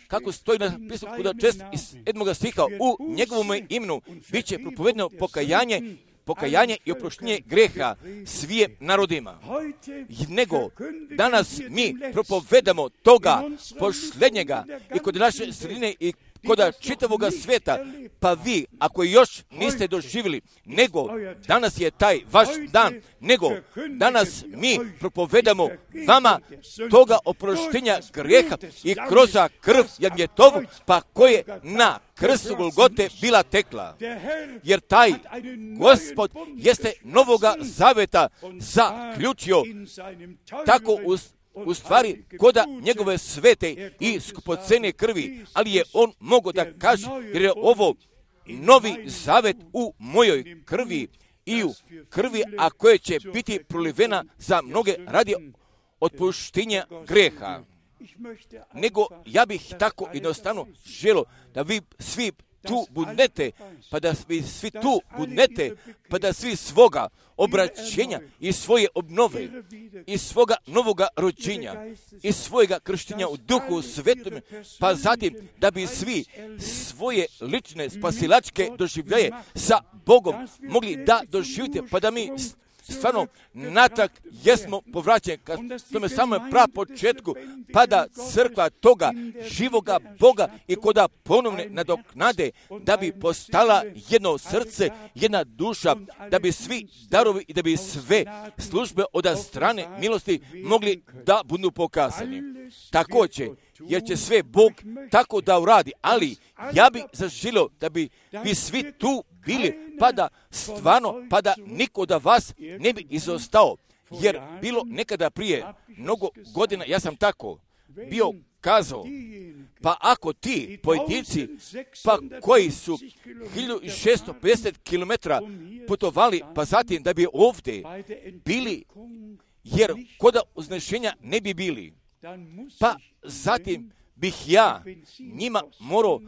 kako stoji napisano koda čest iz sedmoga stiha, u njegovom imenu bit će propovedno pokajanje, pokajanje i oproštenje greha svim narodima. Nego danas mi propovedamo toga posljednjega i kod naše sredine i kod čitavoga sveta, pa vi, ako još niste doživjeli, nego danas je taj vaš dan, nego danas mi propovedamo vama toga oproštenja greha i kroz krv Jagnjetovu, pa koje na krstu Golgote bila tekla. Jer taj Gospod jeste novoga zaveta zaključio tako u u stvari koda njegove svete i skupocene krvi, ali je on mogao da kaže, jer je ovo novi zavet u mojoj krvi i u krvi, a koje će biti prolivena za mnoge radi otpuštenja greha. nego ja bih tako jednostavno želio da vi svi tu budnete, pa da vi svi tu budnete, pa da svi svoga obraćenja i svoje obnove i svoga novoga rođenja i svojega krštenja u Duhu Svetom, pa zatim da bi svi svoje lične spasilačke doživljaje sa Bogom mogli da doživite, pa da mi stvarno natrag jesmo povraćeni ka tome samom prav početku, pa da crkva toga živoga Boga i koda ponovne nadoknade, da bi postala jedno srce, jedna duša, da bi svi darovi i da bi sve službe od strane milosti mogli da budu pokazani. Također, jer će sve Bog tako da uradi, ali ja bih zaželio da bi vi svi tu bili, pa da stvarno, pa da niko od vas ne bi izostao, jer bilo nekada prije mnogo godina, ja sam tako bio kazao, pa ako ti pojedinci, pa koji su hiljadu šeststo pedeset kilometara putovali, pa zatim da bi ovdje bili, jer koda uznešenja ne bi bili, pa zatim bih ja njima morao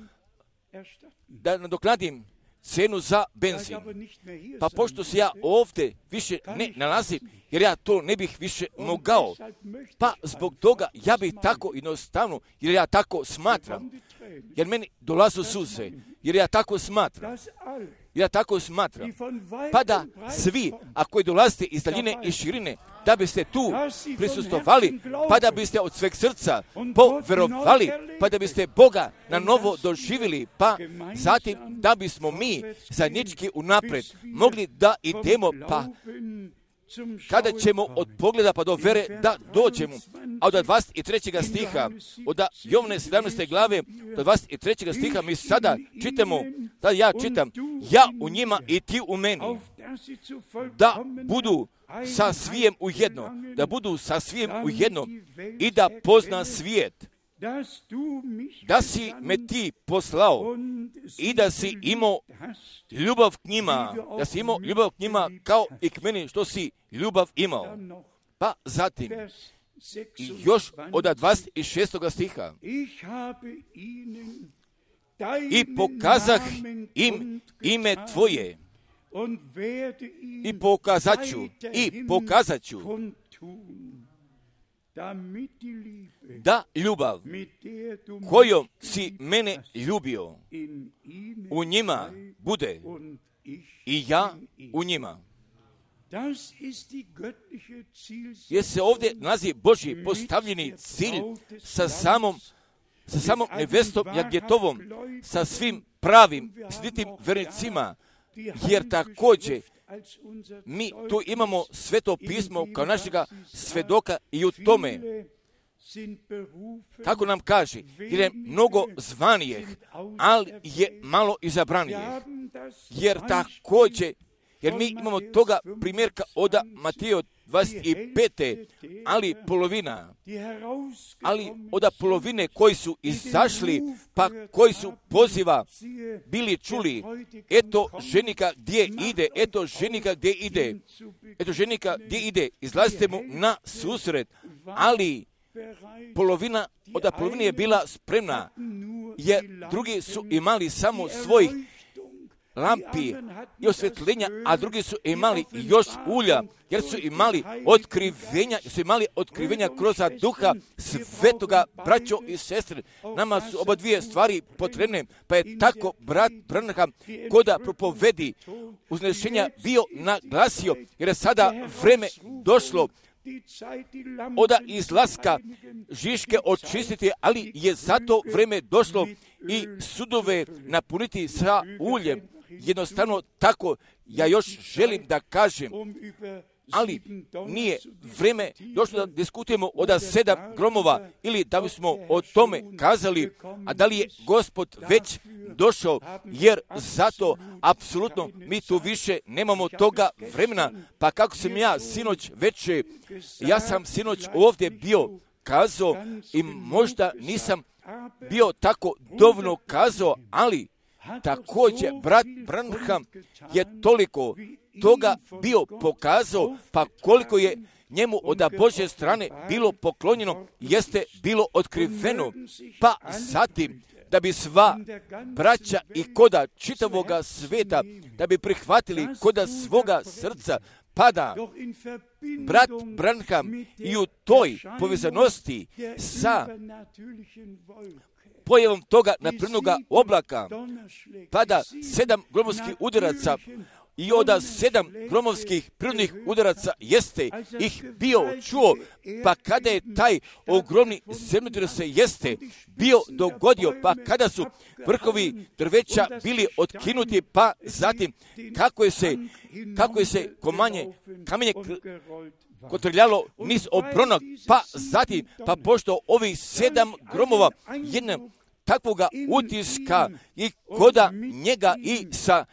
da nadoknadim cenu za benzin. Pa pošto se ja ovdje više ne nalazim, jer ja to ne bih više mogao, pa zbog toga ja bih tako jednostavno, jer ja tako smatram, jer meni dolazu suze, jer ja tako smatram, ja tako smatram, pa da svi, ako koji dolazite iz daljine i širine, da biste tu prisustovali, pa da biste od sveg srca poverovali, pa da biste Boga na novo doživjeli, pa zatim da bismo mi zajednički unaprijed mogli da idemo, pa kada ćemo od pogleda pa do vere da dođemo. A od dvadeset trećeg stiha, od Jovane sedamnaeste glave, do dvadeset trećeg stiha mi sada čitamo, da ja čitam, ja u njima i ti u meni, da budu sa svijem ujedno, da budu sa svijem ujedno i da pozna svijet, da si me ti poslao i da si imao ljubav k njima, da si imao ljubav k njima kao i k meni što si ljubav imao. Pa zatim, i još od dvadeset šestog stiha, i pokazah im ime tvoje, i pokazat ću, i pokazat ću, da ljubav kojom si mene ljubio u njima bude i ja u njima. Jer se ovdje nalazi Božji postavljeni cilj sa samom, sa samom nevestom Jagetovom, sa svim pravim, slitim vernicima, jer također mi tu imamo Sveto pismo kao našega svedoka i u tome, kako nam kaže, jer je mnogo zvanijeh, ali je malo izabranijeh. Jer također, jer mi imamo toga primjerka od Mateja dvadeset pete, ali polovina, ali od polovine koji su izašli, pa koji su poziva bili čuli, eto ženika gdje ide, eto ženika gdje ide, eto ženika gdje ide, izlazite mu na susret, ali polovina, od polovine je bila spremna, jer drugi su imali samo svoj lampi i osvjetljenja, a drugi su imali još ulja, jer su imali otkrivenja, su imali otkrivenja kroz duha svetoga, braćo i sestre. Nama su oba dvije stvari potrebne, pa je tako brat Branham koda propovedi uznešenja bio naglasio, jer je sada vreme došlo od izlaska Žiške očistiti, ali je zato vreme došlo i sudove napuniti sa uljem. Jednostavno tako, ja još želim da kažem, ali nije vreme došlo da diskutujemo od sedam gromova ili da bismo o tome kazali, a da li je Gospod već došao, jer zato apsolutno mi tu više nemamo toga vremena. Pa kako sam ja sinoć večer, ja sam sinoć ovdje bio kazao i možda nisam bio tako dovoljno kazao, ali također brat Branham je toliko toga bio pokazao, pa koliko je njemu od Božje strane bilo poklonjeno, jeste bilo otkriveno, pa zatim da bi sva braća i koda čitavoga sveta, da bi prihvatili koda svoga srca, pada brat Branham i u toj povezanosti sa pojavom toga naprednoga oblaka pada sedam gromovskih udaraca i od sedam gromovskih prirodnih udaraca jeste ih bio čuo, pa kada je taj ogromni zemljotres se jeste bio dogodio, pa kada su vrhovi drveća bili otkinuti, pa zatim kako je se, kako je se komanje, kamenje kotrljalo niz obronog, pa zatim, pa pošto ovih sedam gromova jednom takvoga utiska i koda njega i sa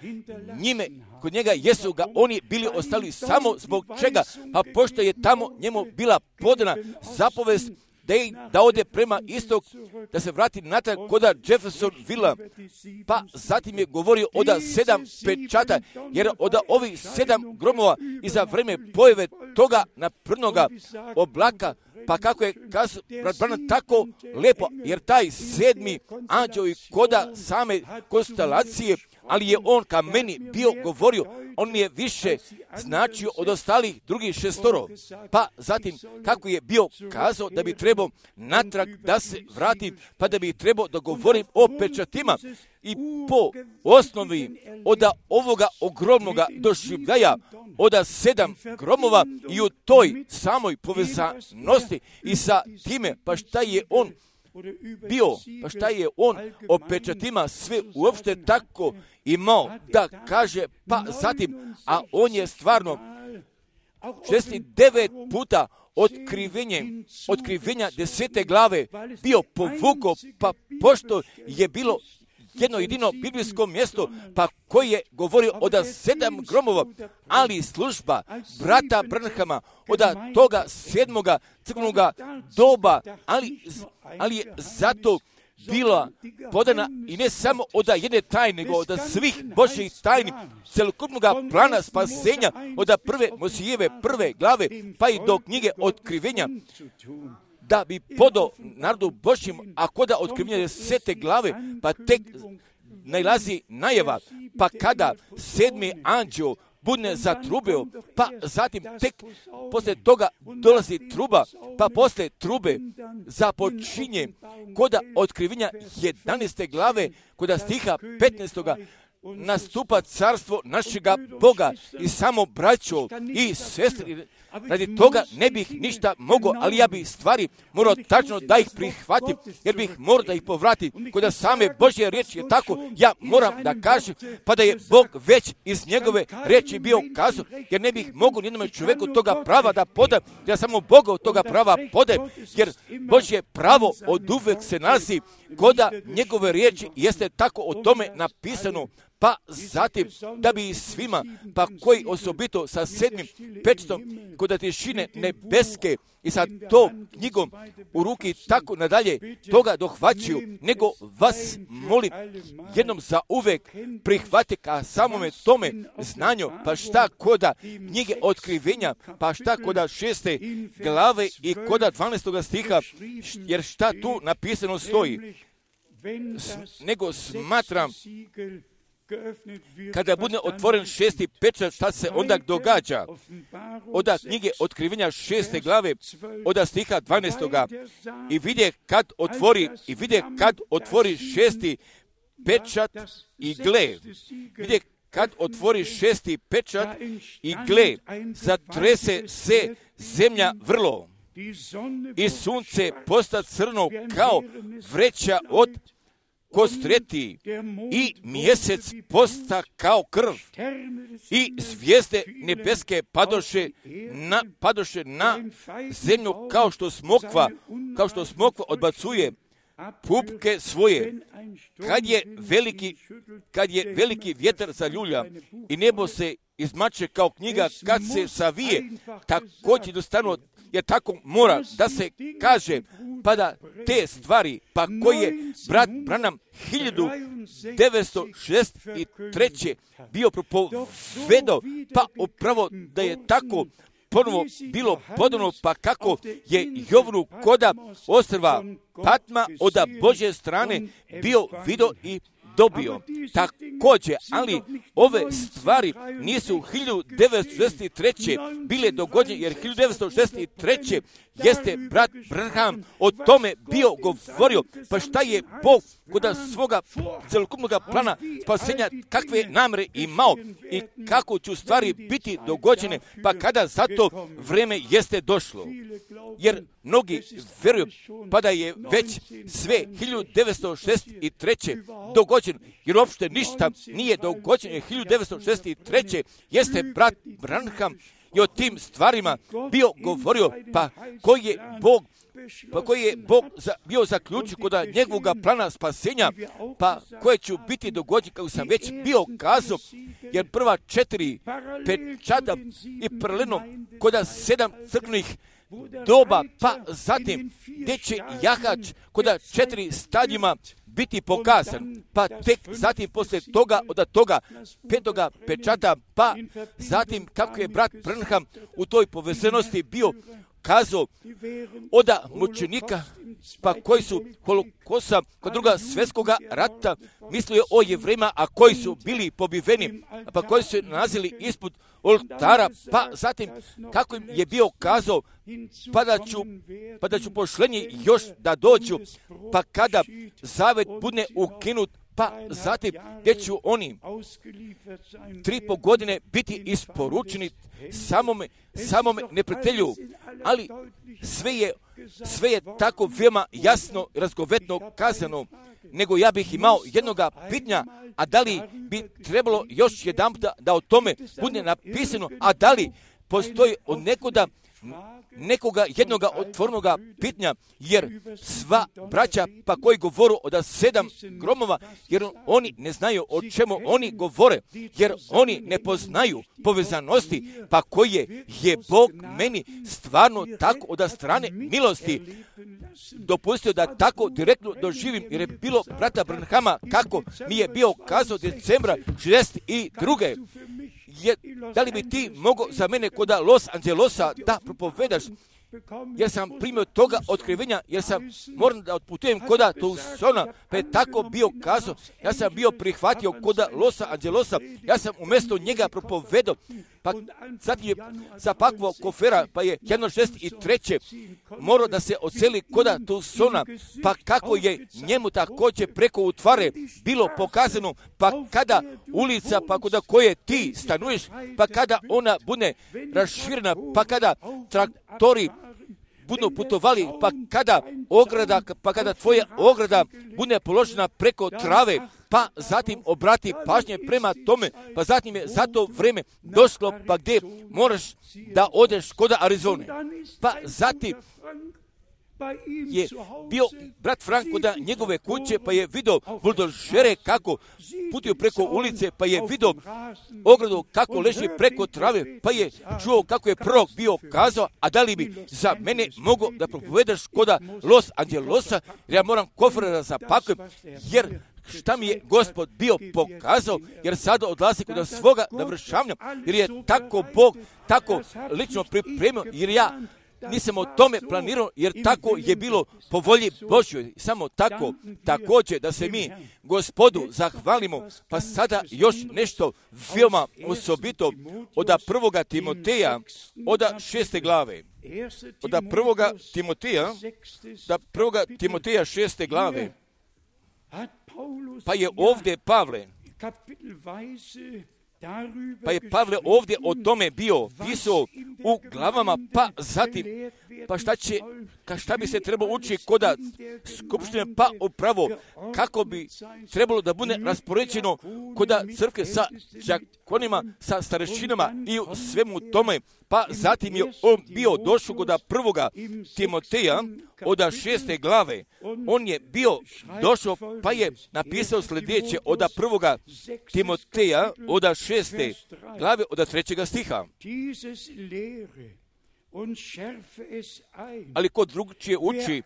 njime, kod njega jesu ga oni bili ostali samo zbog čega, pa pošto je tamo njemu bila podana zapovest da, je, da ode prema istok, da se vrati natrag koda Jeffersonvilla, pa zatim je govorio od sedam pečata, jer od ovih sedam gromova i za vreme pojave toga naprednoga oblaka, pa kako je kazao brat Branham tako lepo, jer taj sedmi anđeo i koda same konstelacije, ali je on ka meni bio govorio, on mi je više značio od ostalih drugih šestoro. Pa zatim kako je bio kazao da bi trebao natrag da se vratim, pa da bi trebao da govorim o pečatima i po osnovi od ovoga ogromnoga doživljaja od sedam gromova i u toj samoj povezanosti i sa time, pa šta je on bio, pa šta je on o pečatima sve uopšte tako imao da kaže, pa zatim, a on je stvarno šezdeset devet puta otkrivenje, otkrivenja desete glave bio povuko, pa pošto je bilo jedno jedino biblijsko mjesto, pa koji je govorio od sedam gromova, ali služba brata Branhama od toga sedmoga crkvenoga doba, ali, ali je zato bila podana i ne samo od jedne tajne, nego od svih Božjih tajni, celokupnog plana spasenja, od prve Mojsijeve prve glave, pa i do knjige otkrivenja, da bi podo narodu Božjim, a koda otkrivenja desete glave, pa tek najlazi najava, pa kada sedmi anđeo budne zatrubio, pa zatim tek posle toga dolazi truba, pa posle trube započinje koda otkrivenja jedanaeste glave, koda stiha petnaestoga nastupa carstvo našega Boga i samo braćo i sestri. Radi toga ne bih ništa mogao, ali ja bih stvari morao tačno da ih prihvatim, jer bih morao da ih povratim. Kod same Božje riječi je tako, ja moram da kažem, pa da je Bog već iz njegove riječi bio kazao, jer ne bih mogao nijednom čoveku toga prava da podam, ja samo Boga od toga prava podam, jer Božje pravo od uvek se nalazi koda njegove riječi, jeste tako o tome napisano. Pa zatim, da bi i svima, pa koji osobito sa sedmim pečatom kod tišine nebeske i sa to knjigom u ruki tako nadalje toga dohvaćaju, nego vas molim jednom za uvek prihvate ka samome tome znanju, pa šta koda knjige otkrivenja, pa šta koda šeste glave i koda dvanaestoga stiha, jer šta tu napisano stoji, S, nego smatram kada bude otvoren šesti pečat, šta se onda događa? Od knjige otkrivenja šeste glave, od stiha dvanaestoga i vidje kad otvori, i vidje kad otvori šesti pečat i gle, vidje kad otvori šesti pečat i gle, zatrese se zemlja vrlo i sunce posta crno kao vreća od kostreti i mjesec posta kao krv i zvijezde nebeske padoše na, padoše na zemlju kao što smokva, kao što smokva odbacuje pupke svoje. Kad je veliki, kad je veliki vjetar zaljulja i nebo se izmače kao knjiga kad se savije, također jednostavno je tako mora da se kaže, pa da te stvari, pa koji je brat Branham hiljadu devetsto šezdeset treće bio propovedao, pa upravo da je tako ponovo bilo podobno, pa kako je Jovnu koda ostrva Patma od Božje strane bio vidio i dobio. Također, ali ove stvari nisu hiljadu devetsto šezdeset treće bile dogođene, jer hiljadu devetsto šezdeset treće jeste brat Branham o tome bio govorio, pa šta je Bog kod svoga celokupnog plana spasenja, kakve namere imao i kako će stvari biti dogođene, pa kada za to vreme jeste došlo. Jer mnogi vjeruju pa da je već sve hiljadu devetsto šezdeset treće dogođeno, jer uopšte ništa nije dogođeno. hiljadu devetsto šezdeset treće jeste brat Branham i o tim stvarima bio govorio, pa koji je Bog pa koji je Bog za, bio zaključio kod njegovog plana spasenja, pa koje će biti dogođene, kako sam već bio kazao, jer prva četiri pečata i paralelno kod sedam crkvenih doba, pa zatim gdje će jahač kod četiri stadijima biti pokazan, pa tek zatim poslije toga, od toga petoga pečata, pa zatim kako je brat Branham u toj povezanosti bio kazao od mučenika, pa koji su holokosta kod druga svjetskoga rata, mislio je o Jevrejima, a koji su bili pobiveni, pa koji su nalazili ispod oltara, pa zatim kako im je bio kazao, pa da ću, pa da ću pošlenje još da dođu, pa kada zavet bude ukinut, pa zatim gdje ću oni tri po godine biti isporučeni samome, samome neprijatelju, ali sve je, sve je tako veoma jasno i razgovetno kazano, nego ja bih imao jednoga pitanja, a da li bi trebalo još jedan da, da o tome bude napisano, a da li postoji od nekoga nekoga jednoga otvornoga pitanja, jer sva braća pa koji govoru od sedam gromova, jer oni ne znaju o čemu oni govore, jer oni ne poznaju povezanosti, pa koje je Bog meni stvarno tako od strane milosti dopustio da tako direktno doživim, jer je bilo brata Branhama kako mi je bio kazao decembra šezdeset druge Je, da li bi ti mogao za mene kod Los Angelesa da propovedaš, jer sam primio toga otkrivenja, jer sam moram da otputujem kod Tucsona, pa je tako bio kazao, ja sam bio prihvatio kod Los Angelesa, ja sam umjesto njega propovedao, pa zatim je zapakvao kofera, pa je jedno šezdeset treće morao da se odseli kod Tucsona, pa kako je njemu također preko utvare bilo pokazano, pa kada ulica, pa kod koje ti stanuješ, pa kada ona bude raširena, pa kada traktori budu putovali, pa kada ograda, pa kada tvoja ograda bude položena preko trave, pa zatim obrati pažnje prema tome, pa zatim je za to vreme došlo, pa gdje moraš da odeš kod Arizone, pa zatim je bio brat Frank kod njegove kuće, pa je vidio buldožere kako putuju preko ulice, pa je vidio ogradu kako leži preko trave, pa je čuo kako je prorok bio kazao, a da li bi za mene mogao da propovedaš kod Los Angelosa, jer ja moram kofer da zapakujem, jer šta mi je Gospod bio pokazao, jer sada odlazi kod svoga navršavanja, jer je tako Bog tako lično pripremio, jer ja nisam o tome planirao, jer tako je bilo po volji Božjoj. Samo tako, također da se mi Gospodu zahvalimo, pa sada još nešto veoma osobito od prvoga Timoteja, od šeste glave. Od prvoga Timoteja, da prvoga Timoteja šeste glave, pa je ovdje Pavle, Pa je Pavle ovdje o tome bio pisao u glavama, pa zatim, pa šta će, ka šta bi se trebalo učiti kod skupštine, pa upravo kako bi trebalo da bude raspoređeno kod crkve sa đakonima, sa starešinama i u svemu tome, pa zatim je on bio došao kod prvoga Timoteja od šeste glave. On je bio došao, pa je napisao sljedeće od prvoga Timoteja od šeste glave od trećega stiha. Ali ko drugčije uči,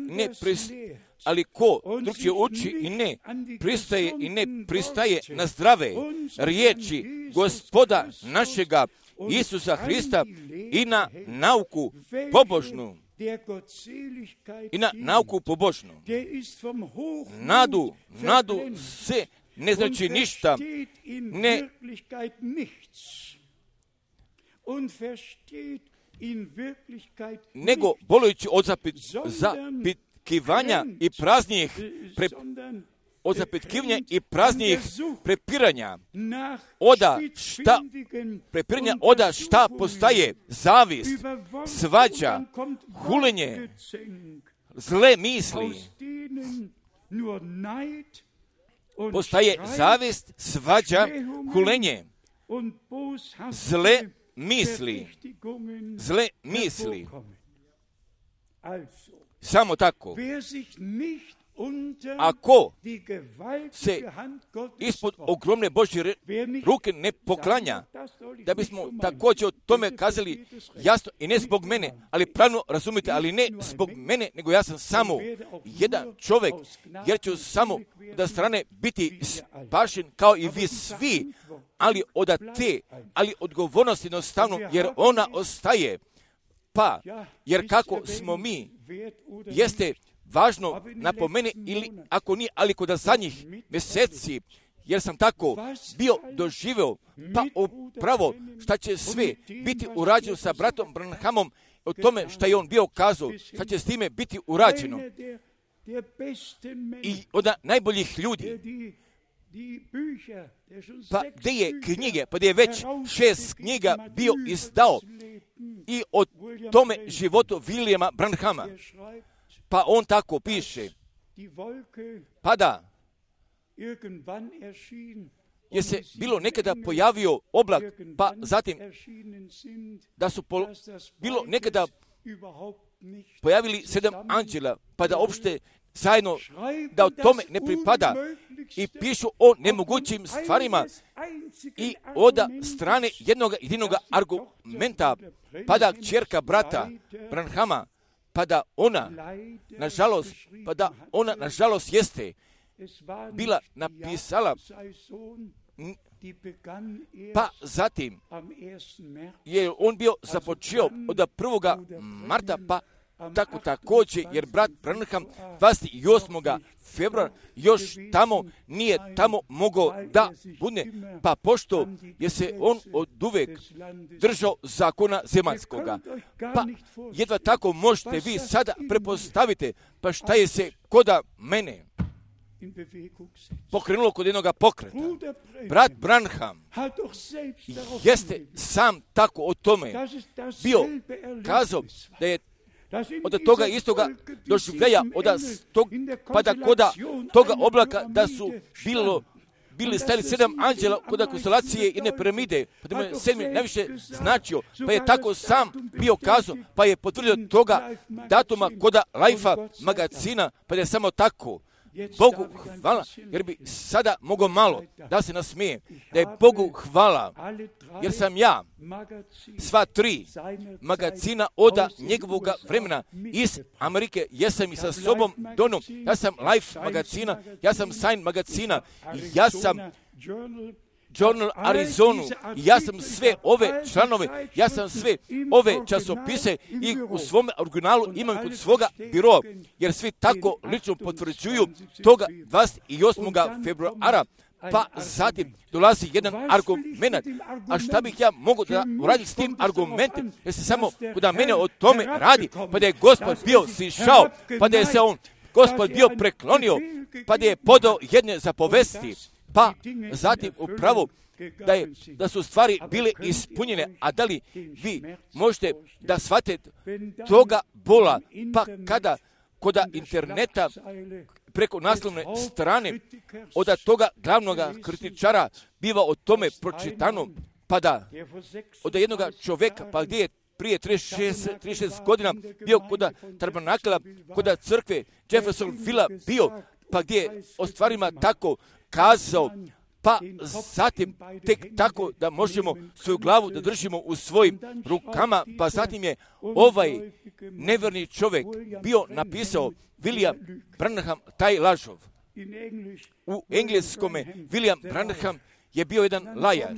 ne pristaje, ali ko drugčije uči i ne pristaje i ne pristaje na zdrave riječi Gospoda našega Isusa Hrista i na nauku pobožnu. I na nauku pobožnu. Nadu, nadu se ne znači ništa, ne nego bolujući od zapit, zapitkivanja i praznijih pre, od zapitkivanja i praznijih prepiranja oda šta prepiranja oda šta postaje zavist, svađa, hulenje, zle misli. Postaje zavist, svađa, hulenje, zle misli, zle misli. Samo tako. Ako se ispod ogromne Božje ruke ne poklanja, da bismo također o tome kazali jasno i ne zbog mene, ali pravno razumite, ali ne zbog mene, nego ja sam samo jedan čovjek, jer ću samo da strane biti spašen kao i vi svi, ali od te, ali odgovornost jednostavno, jer ona ostaje. Pa, jer kako smo mi, jeste važno napomeni, ili ako nije, ali kod zadnjih mjeseci, jer sam tako bio doživio, pa upravo šta će sve biti urađeno sa bratom Branhamom, o tome šta je on bio kazao, šta će s time biti urađeno. I od najboljih ljudi, pa gdje je knjige, pa gdje je već šest knjiga bio izdao i o tome životu Williama Branhama. Pa on tako piše, pa da je se bilo nekada pojavio oblak, pa zatim da su pol, bilo nekada pojavili sedam anđela, pa da uopšte zajedno da o tome ne pripada i pišu o nemogućim stvarima i od strane jednog jedinog argumenta, pa da kćerka brata Branhama, pa da ona, nažalost, pa da ona, nažalost, jeste bila napisala, pa zatim je on bio započeo od prvoga marta, pa tako također, jer brat Branham dvadeset osmog februara još tamo nije tamo mogao da bude, pa pošto je se on od uvek držao zakona zemaljskoga. Pa jedva tako možete vi sada prepostavite, pa šta je se koda mene pokrenulo kod jednoga pokreta. Brat Branham jeste sam tako o tome bio kazao da je od toga istoga doživljaja, od tog, pa da koda toga oblaka da su bilo, bili stajali sedam anđela kod konstelacije jedne piramide, pa da mu je sedmi najviše značio, pa je tako sam bio kazao, pa je potvrdio toga datuma koda Life magazina, pa da je samo tako. Bogu hvala, jer bi sada mogao malo da se nasmije, da je Bogu hvala, jer sam ja sva tri magazina od njegovog vremena iz Amerike, ja sam i sa sobom donio, ja sam Life magazina, ja sam Sign magazina, ja sam Journal Arizonu, ja sam sve ove članove, ja sam sve ove časopise i u svom originalu imam kod svoga biroa, jer svi tako lično potvrđuju toga dvadeset osmog februara, pa zatim dolazi jedan argument. A šta bih ja mogu da uradim s tim argumentom, jer se samo kod mene o tome radi, pa da je Gospod bio sišao, pa da je se on, Gospod bio preklonio, pa da je podao jedne zapovesti, pa zatim upravo da, je, da su stvari bile ispunjene, a da li vi možete da shvatite toga bola, pa kada kod interneta preko naslovne strane od toga glavnog kritičara biva o tome pročitano, pa da od jednog čovjeka, pa gdje je prije trideset šest godina bio kod tabernakla, kod crkve Jeffersonville bio, pa gdje je o stvarima tako kazao, pa zatim tek tako da možemo svoju glavu da držimo u svojim rukama, pa zatim je ovaj neverni čovjek bio napisao William Branham, taj lažov. U engleskome William Branham je bio jedan lajar.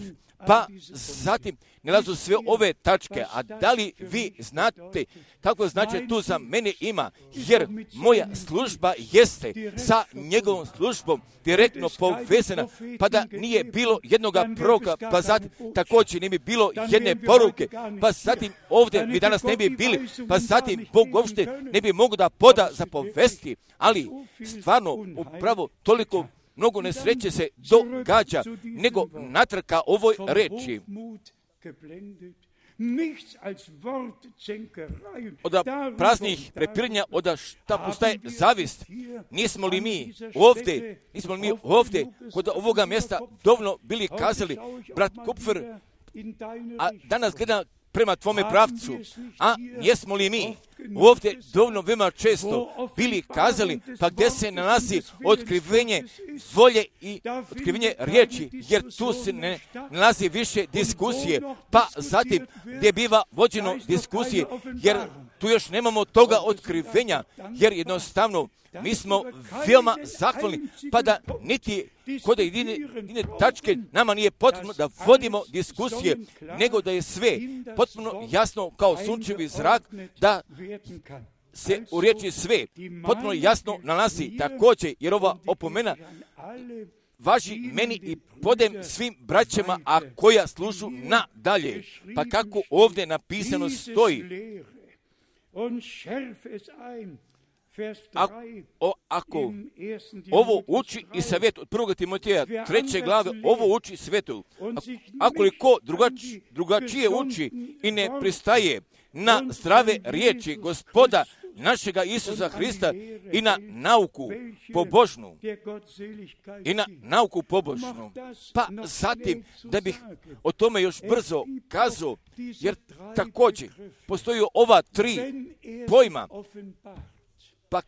Pa zatim nalazu sve ove tačke, a da li vi znate kako znači tu za mene ima, jer moja služba jeste sa njegovom službom direktno povezana, pa da nije bilo jednoga proroka, pa zatim također ne bi bilo jedne poruke, pa zatim ovdje mi danas ne bi bili, pa zatim Bog uopšte ne bi mogao da poda za povesti, ali stvarno upravo toliko mnogo nesreće se događa, nego natrka ovoj reči. Od praznih prepiranja, od šta postaje zavist. Nismo li mi ovdje, nismo li mi ovdje kod ovoga mjesta dovoljno bili kazali, brat Kupfer, a danas gleda prema tvome pravcu, a jesmo li mi ovdje dovoljno veoma često bili kazali, pa gdje se nalazi otkrivenje volje i otkrivenje riječi, jer tu se ne nalazi više diskusije, pa zatim gdje biva vođeno diskusije, jer tu još nemamo toga otkrivenja, jer jednostavno mi smo veoma zahvalni, pa da niti kod jedine, jedine tačke nama nije potrebno da vodimo diskusije, nego da je sve potpuno jasno kao sunčevi zrak, da se u riječi sve potpuno jasno nalazi također, jer ova opomena važi meni i podem svim braćama, a koja služu nadalje. Pa kako ovdje napisano stoji, Ako, o, ako ovo uči i savjet od prvog Timoteja treće glave, ovo uči svetu. Ako li ko drugači, drugačije uči i ne pristaje na zdrave riječi Gospoda našega Isusa Hrista i na nauku pobožnu, i na nauku pobožnu, pa zatim da bih o tome još brzo kazao, jer također postoji ova tri pojma, pa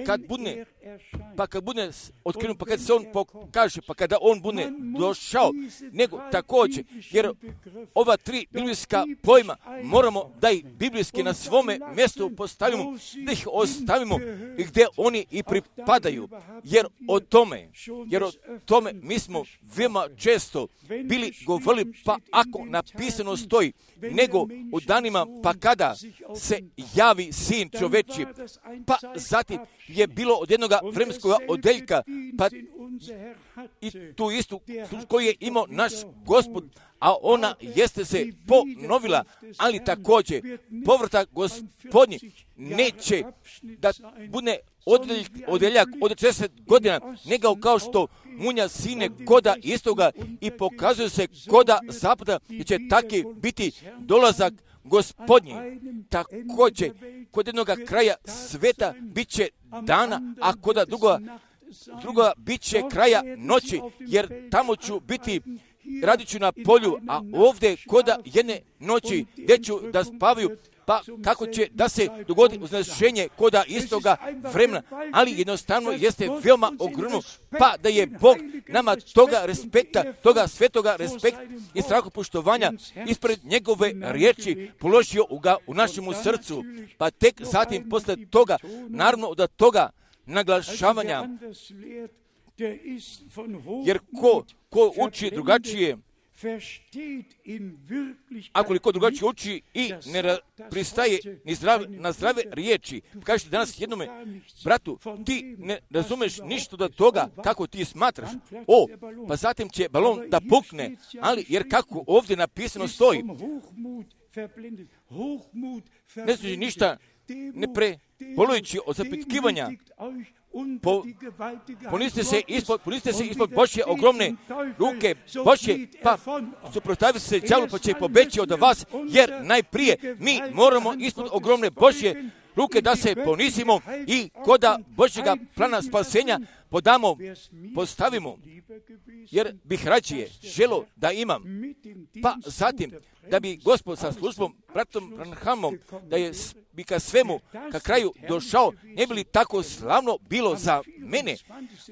kad bude, pa kad bude otkrenut, pa kad se on pokaže, pa kada on bude došao, nego također, jer ova tri biblijska pojma moramo da ih biblijski na svome mjestu postavimo, da ih ostavimo gdje oni i pripadaju, jer o tome, jer o tome mi smo veoma često bili govorili, pa ako napisano stoji, nego u danima pa kada se javi sin čoveči, pa zatim je bilo od jednog vremenskog odeljka, pa i tu istu koju je imao naš Gospod, a ona jeste se ponovila, ali također povratak Gospodnji neće da bude odeljak, odeljak od šezdeset godina, nego kao što munja sine koda istoga i pokazuje se koda zapada i će taki biti dolazak Gospodnji. Također, kod jednog kraja sveta bit će dana, a kod druga, druga bit će kraja noći, jer tamo ću biti, radit ću na polju, a ovdje koda jedne noći gdje ću da spavaju, pa kako će da se dogodi uznešenje koda istoga vremena, ali jednostavno jeste veoma ogromno, pa da je Bog nama toga respekta, toga svetoga respekta i strahopoštovanja ispred njegove riječi položio u, ga, u našemu srcu, pa tek zatim posle toga, naravno da toga naglašavanja, jer ko, ko uči drugačije, ako li ko drugačije uči i ne pristaje ni zdrave, na zdrave riječi, kažete danas jednome bratu, ti ne razumeš ništa od toga kako ti smatraš, o, pa zatim će balon da pukne, ali jer kako ovdje napisano stoji, ne znači ništa ne prepolujući od zapitkivanja, Po, poniste se ispod, poniste se ispod Božje ogromne ruke Božje, pa suprotstavite se đavlu, pa će pobeći od vas, jer najprije mi moramo ispod ogromne Božje ruke da se ponisimo i koda Božjega plana spasenja podamo, postavimo, jer bih rađije želo da imam, pa zatim da bi Gospod sa službom, bratom Branhamom, da je bi ka svemu, ka kraju došao, ne bi li tako slavno bilo za mene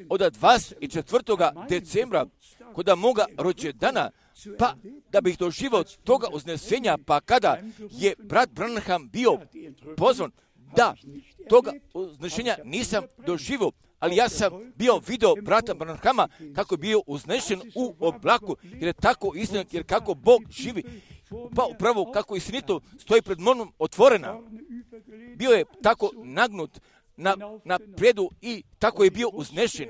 od dvadeset četvrtog decembra, kod moga rođendana, pa da bih doživao toga uznesenja, pa kada je brat Branham bio pozvan, da toga uznešenja nisam doživao, ali ja sam bio video brata Branhama kako je bio uznešen u oblaku, jer je tako istina, jer kako Bog živi, pa upravo kako istinito stoji pred mnom otvorena. Bio je tako nagnut na, na predu i tako je bio uznešen.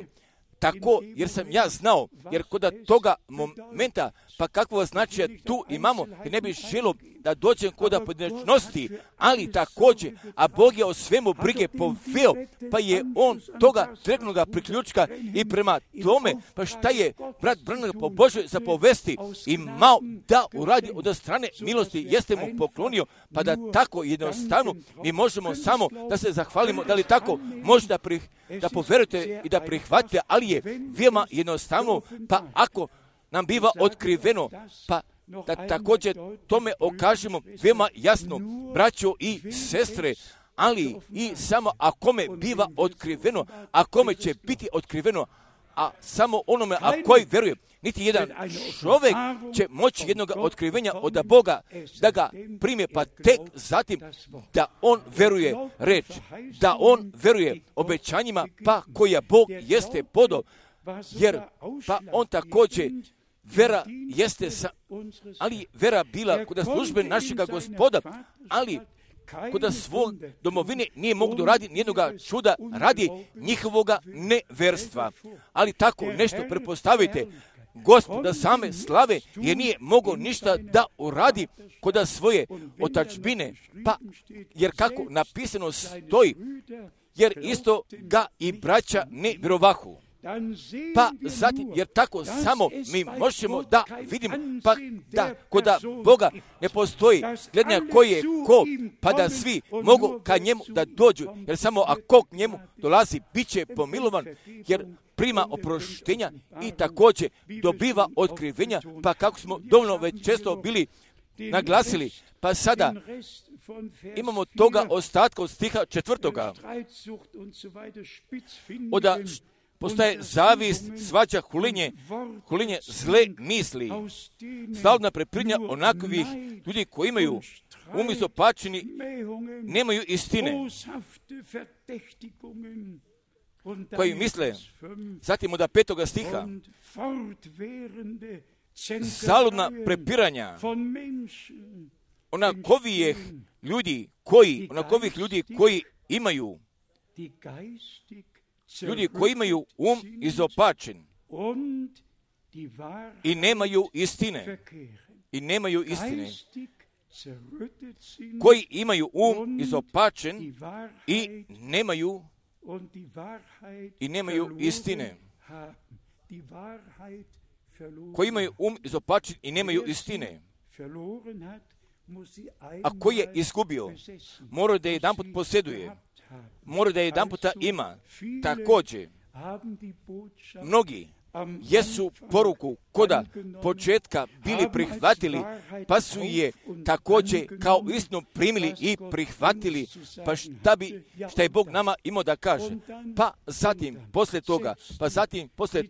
Tako, jer sam ja znao, jer kod toga momenta, pa kakvo značaja tu imamo, jer ne bih želio da dođem kod pojedinačnosti, ali također, a Bog je o svemu brige poveo, pa je on toga direktnoga priključka i prema tome, pa šta je brat Branham po Božoj zapovesti imao da uradi od strane milosti, jeste mu poklonio, pa da tako jednostavno mi možemo samo da se zahvalimo, da li tako možda prih, da poverujete i da prihvatite, ali je veoma jednostavno, pa ako nam biva otkriveno, pa da također tome okažemo veoma jasno, braćo i sestre, ali i samo a kome biva otkriveno, a kome će biti otkriveno, a samo onome, a koji veruje, niti jedan čovjek će moći jednog otkrivenja od Boga da ga prime, pa tek zatim da on veruje reč, da on veruje obećanjima, pa koja Bog jeste podao, jer pa on također vera jeste, sa, ali vera bila kod službe našega Gospoda, ali kod svog domovine nije mogu doraditi nijednoga čuda radi njihovoga neverstva. Ali tako nešto prepostavite, Gospoda same slave, jer nije mogao ništa da uradi kod svoje otačbine, pa jer kako napisano stoji, jer isto ga i braća ne vjerovahu. Pa zatim, jer tako samo mi možemo da vidimo, pa da kod Boga ne postoji gledanja koji je ko, pa da svi mogu ka njemu da dođu, jer samo ako k njemu dolazi, bit će pomilovan, jer prima oproštenja i također dobiva otkrivenja, pa kako smo dovoljno već često bili naglasili, pa sada imamo toga ostatka od stiha četvrtoga, oda postaje zavist, svađa, hulinje, hulinje zle misli, stalna preprinja onakvih ljudi koji imaju umjesto pačeni, nemaju istine, koji misle, zatim od petoga stiha, zaludna prepiranja onakovijeh ljudi koji, onakovih ljudi koji imaju ljudi koji imaju um izopačen i nemaju istine, i nemaju istine, koji imaju um izopačen i nemaju i nemaju istine, koji imaju um izopačen i nemaju istine, a koji je izgubio, mora da je jedanput posjeduje, mora da je jedan puta ima. Također, mnogi jesu poruku koda početka bili prihvatili, pa su je također kao istinu primili i prihvatili, pa šta bi, šta je Bog nama imao da kaže. Pa zatim, poslije toga, pa zatim, poslije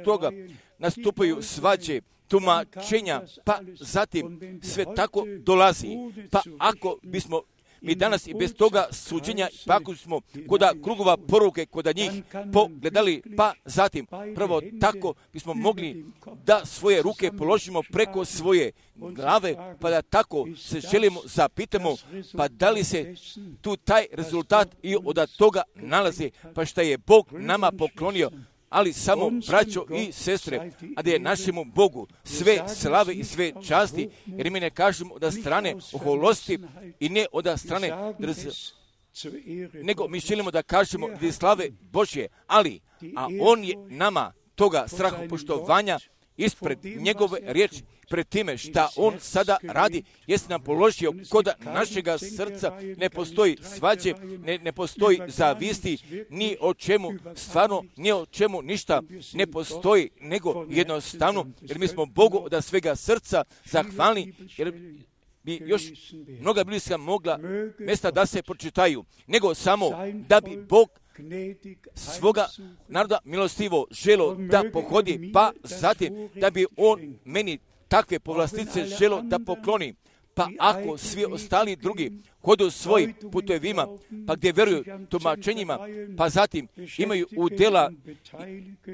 toga nastupaju svađe, tumačenja, pa zatim sve tako dolazi. Pa ako bismo mi danas i bez toga suđenja, pa ako smo koda krugova poruke, koda njih pogledali, pa zatim, prvo tako bismo mogli da svoje ruke položimo preko svoje glave, pa da tako se želimo, zapitamo, pa da li se tu taj rezultat i od toga nalazi, pa šta je Bog nama poklonio, ali samo braćo i sestre, a da je našemu Bogu sve slave i sve časti, jer mi ne kažemo od strane oholosti i ne od strane drz, nego mi želimo da kažemo da je slave Božje, ali, a On je nama toga strahopoštovanja ispred njegove riječi, pred time šta On sada radi, jeste nam položio kod našega srca, ne postoji svađe, ne, ne postoji zavisti, ni o čemu, stvarno, ni o čemu ništa ne postoji, nego jednostavno, jer mi smo Bogu od svega srca zahvalni, jer bi još mnoga bliska mogla mjesta da se pročitaju, nego samo da bi Bog svoga naroda milostivo želo da pohodi, pa zatim da bi On meni takve povlastice želo da pokloni, Pa ako svi ostali drugi hodu svojim putevima, pa gdje vjeruju tumačenjima, pa zatim imaju udjela,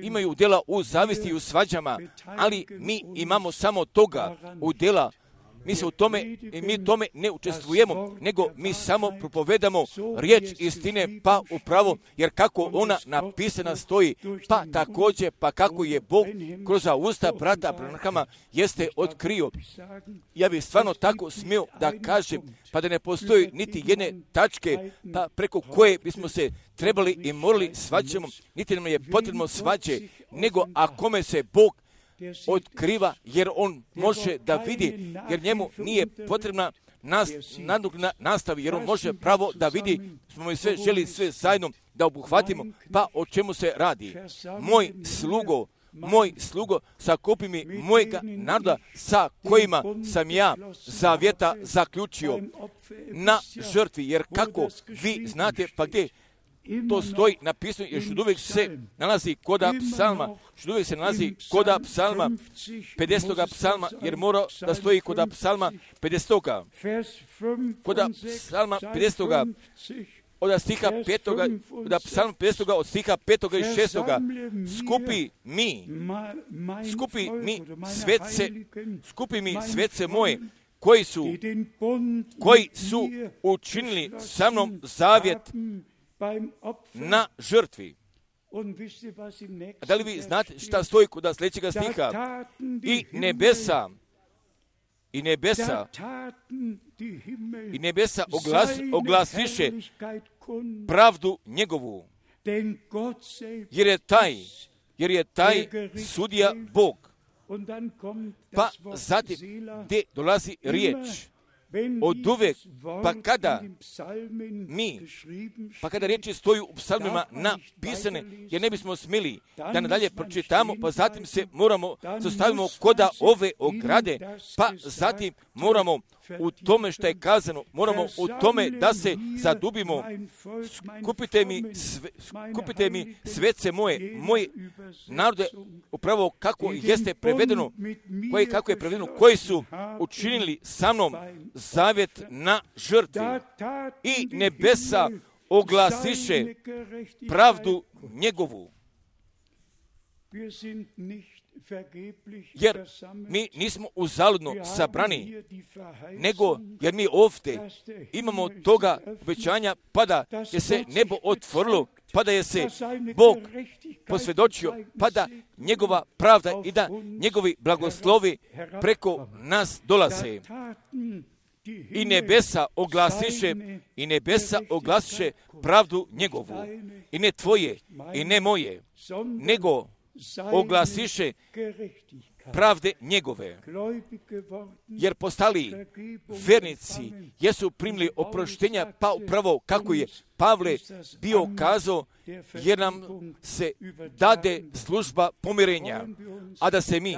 imaju udjela u zavisti i u svađama, ali mi imamo samo toga udjela. Mi se u tome, mi tome ne učestvujemo, nego mi samo propovedamo riječ istine, pa upravo, jer kako ona napisana stoji, pa također, pa kako je Bog kroz usta brata Branhama jeste otkrio. Ja bih stvarno tako smio da kažem, pa da ne postoji niti jedne tačke, pa preko koje bismo se trebali i morali svađamo, niti nam je potrebno svađe, nego a kome se Bog otkriva, jer on može da vidi, jer njemu nije potrebna nas, nadugna nastavi, jer on može pravo da vidi, smo mi sve želi sve zajedno da obuhvatimo, pa o čemu se radi. Moj slugo, moj slugo, sakupi mi mojega naroda sa kojima sam ja zavjeta zaključio na žrtvi, jer kako vi znate, pa gdje to stoji napisano, jer što uvijek se nalazi koda psalma, što uvijek se nalazi koda psalma, pedesetoga psalma, jer mora da stoji koda psalma pedesetoga. Koda psalma pedesetoga, od stiha petoga, koda psalma pedesetoga, od stiha petoga i šestoga, skupi mi, skupi mi svece, skupi mi svece moje, koji su, koji su učinili sa mnom zavjet na žrtvi. A da li vi znate šta stoji kod sljedećega stiha? I nebesa, i nebesa, i nebesa oglas, oglasiše pravdu njegovu, jer je taj, jer je taj sudija Bog. Pa zatim, gdje dolazi riječ, od uvijek, pa kada mi, pa kada riječi stoju u psalmima napisane, jer ne bismo smjeli da nadalje pročitamo, pa zatim se moramo, zastavimo koda ove ograde, pa zatim moramo u tome što je kazano, moramo u tome da se zadubimo. Skupite mi, sve, skupite mi svece moje, moje narode, upravo kako jeste prevedeno, koje, kako je prevedeno, koji su učinili sa mnom zavjet na žrtvi. I nebesa oglasiše pravdu njegovu. Jer mi nismo uzaludno sabrani, nego jer mi ovdje imamo toga obećanja, pa da je se nebo otvorilo, pa da je se Bog posvjedočio, pa da njegova pravda i da njegovi blagoslovi preko nas dolaze. I nebesa oglasiše, i nebesa oglasiše pravdu njegovu, i ne tvoje, i ne moje, nego oglasiše pravde njegove, jer postali vernici jesu primili oproštenja, pa upravo kako je Pavle bio kazao, jer nam se dade služba pomirenja, a da se mi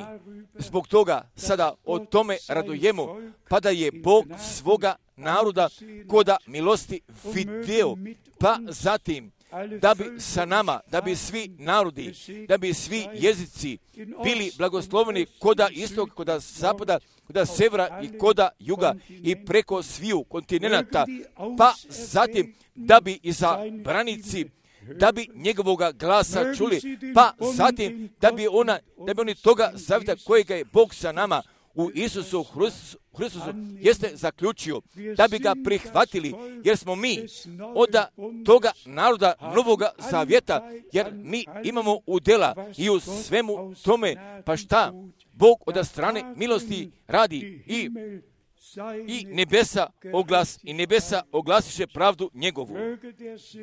zbog toga sada o tome radujemo, pa da je Bog svoga naroda koda milosti video, pa zatim da bi sa nama, da bi svi narodi, da bi svi jezici bili blagosloveni koda istog, koda zapada, koda severa i koda juga i preko sviju kontinenta, pa zatim da bi izabranici, da bi njegovoga glasa čuli, pa zatim da bi ona, da bi oni toga zavjeta kojega je Bog sa nama u Isusu Hristusu jeste zaključio, da bi ga prihvatili, jer smo mi od toga naroda novoga zavjeta, jer mi imamo udjela i u svemu tome, pa šta Bog od strane milosti radi i i nebesa oglas i nebesa oglasiše pravdu njegovu.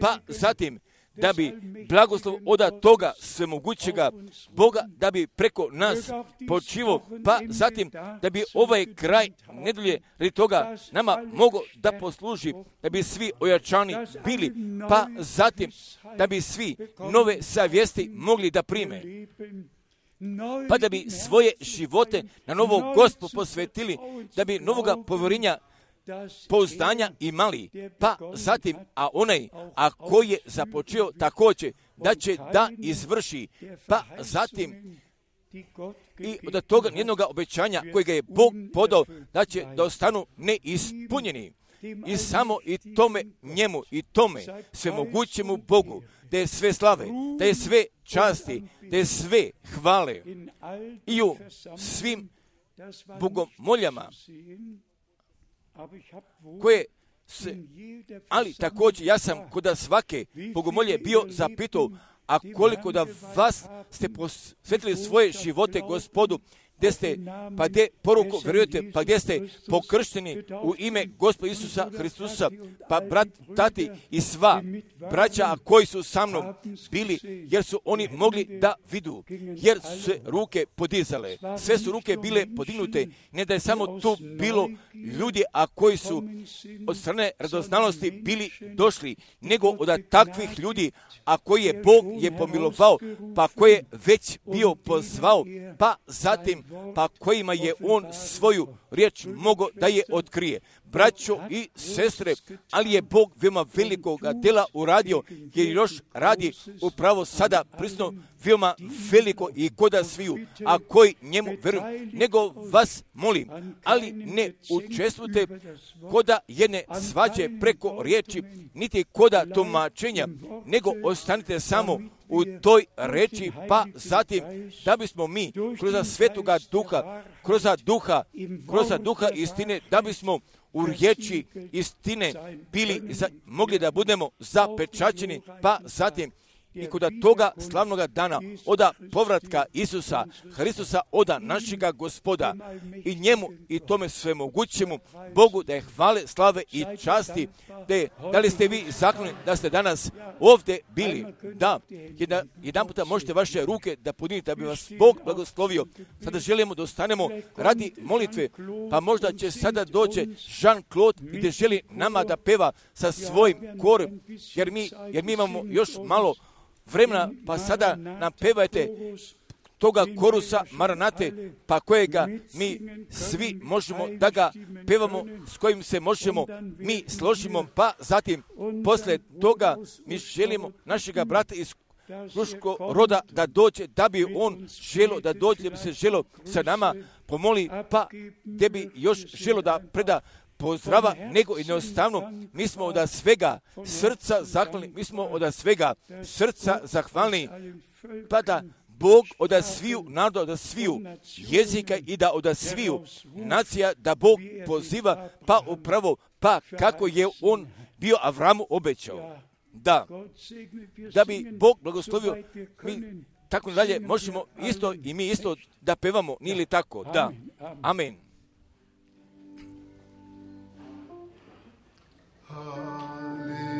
Pa zatim da bi blagoslov od toga svemogućega Boga, da bi preko nas počivo, pa zatim da bi ovaj kraj nedulje radi toga nama mogo da posluži, da bi svi ojačani bili, pa zatim da bi svi nove savjesti mogli da prime, pa da bi svoje živote na novo Gospod posvetili, da bi novoga povjerenja, pouzdanja imali, pa zatim, a onaj, a koji je započeo također, da će da izvrši, pa zatim i od toga nijednoga obećanja kojega je Bog podao da će da ostanu neispunjeni. I samo i tome njemu i tome svemogućemu Bogu, da je sve slave, da je sve časti, da je sve hvale i u svim bogomoljama koje se, ali također ja sam kod svake bogomolje bio zapitao, a koliko da vas ste posvetili svoje živote Gospodu, gdje ste, pa gdje poruku vjerujete, pa gdje ste pokršteni u ime Gospoda Isusa Hristusa, pa brat, tati i sva braća, a koji su sa mnom bili, jer su oni mogli da vidu, jer su se ruke podizale, sve su ruke bile podignute, ne da je samo tu bilo ljudi, a koji su od strane radoznalosti bili došli, nego od takvih ljudi, a koji je Bog je pomilovao, pa koji je već bio pozvao, pa zatim pa kojima je on svoju riječ mogao da je otkrije. Braćo i sestre, ali je Bog veoma velikoga dela uradio, jer još radi upravo sada prisutno veoma veliko i koda sviju, a koji njemu veruju. Nego vas molim, ali ne učestvujte koda jedne svađe preko riječi, niti koda tumačenja, nego ostanite samo u toj reči, pa zatim da bismo mi kroz svetoga duha, kroz duha, kroz duha istine, da bismo u riječi istine bili, za, mogli da budemo zapečaćeni, pa zatim i kod toga slavnoga dana, oda povratka Isusa Hristusa, oda našega Gospoda i njemu i tome svemogućemu Bogu da je hvale, slave i časti. Da, je, da li ste vi zakloni da ste danas ovdje bili? Da, jedan, jedan puta možete vaše ruke da podignete, da bi vas Bog blagoslovio. Sada želimo da ostanemo radi molitve, pa možda će sada doći Jean-Claude i da želi nama da peva sa svojim korom, jer mi, jer mi imamo još malo vremena, pa sada nam pevajte toga korusa Maranate, pa kojega mi svi možemo da ga pevamo, s kojim se možemo mi složimo, pa zatim posle toga mi želimo našega brata iz Kruško roda da dođe, da bi on želo da dođe, da bi se želo sa nama pomoli, pa da bi još želo da preda pozdrava, nego jednostavno mi smo od svega srca zahvalni, mi smo od svega srca zahvalni, pa da Bog od sviju naroda, od sviju jezika i da od sviju nacija, da Bog poziva, pa upravo, pa kako je on bio Avramu obećao. Da, da bi Bog blagoslovio, mi tako dalje možemo isto i mi isto da pevamo, nije li tako? Da, amen. Hallelujah.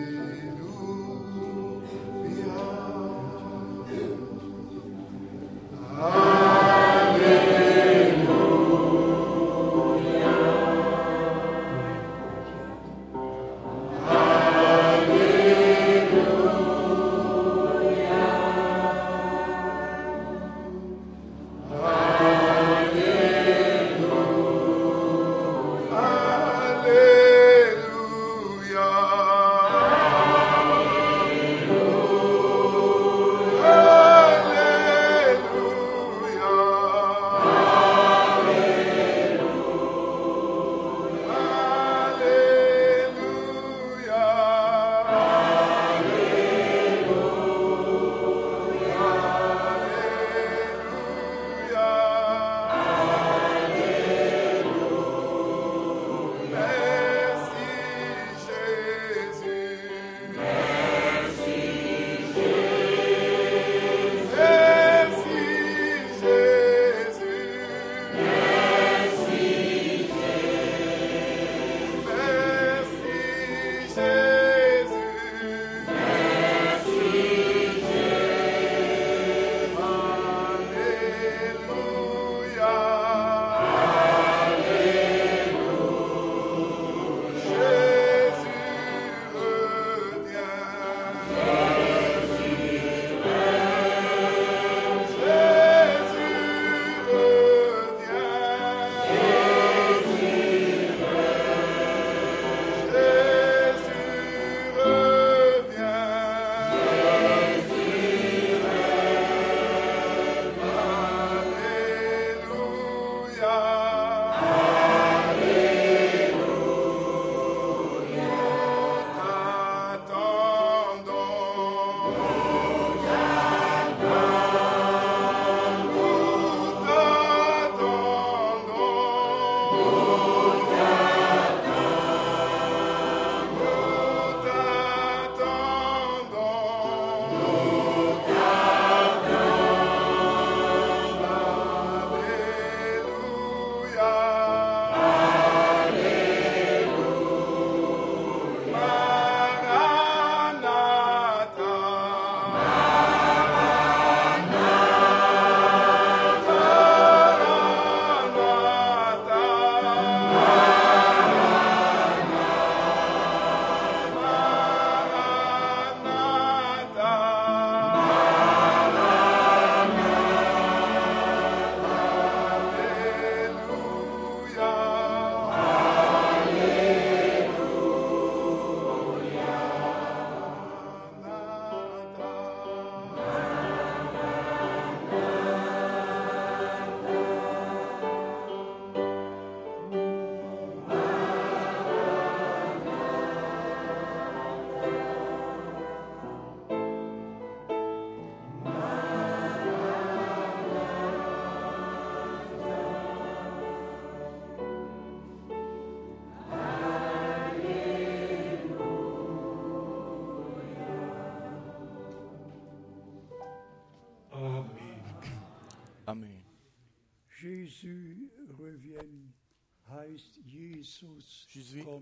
Jésus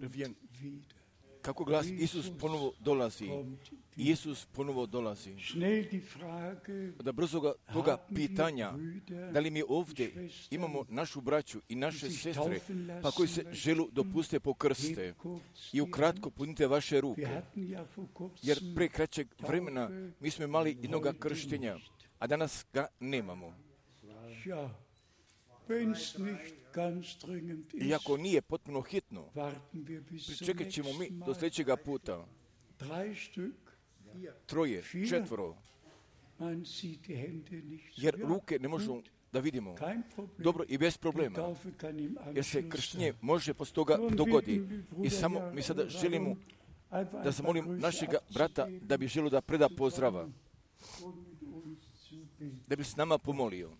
revient. Kako glasi, Isus ponovo dolazi. Isus ponovo dolazi. Da brzoga toga pitanja, da li mi ovdje imamo našu braću i naše sestre, pa koji se želu dopuste pokrste i ukratko punite vaše ruke. Jer pre kraćeg vremena mi smo imali jednoga krštenja, a danas ga nemamo. Iako nije potpuno hitno, pričekat ćemo mi do sljedećega puta. Troje, četvoro, jer ruke ne možemo da vidimo. Dobro i bez problema, jer se krštenje može poslije toga dogodi. I samo mi sada želimo da zamolim našega brata da bi želio da preda pozdrava, da bi s nama pomolio.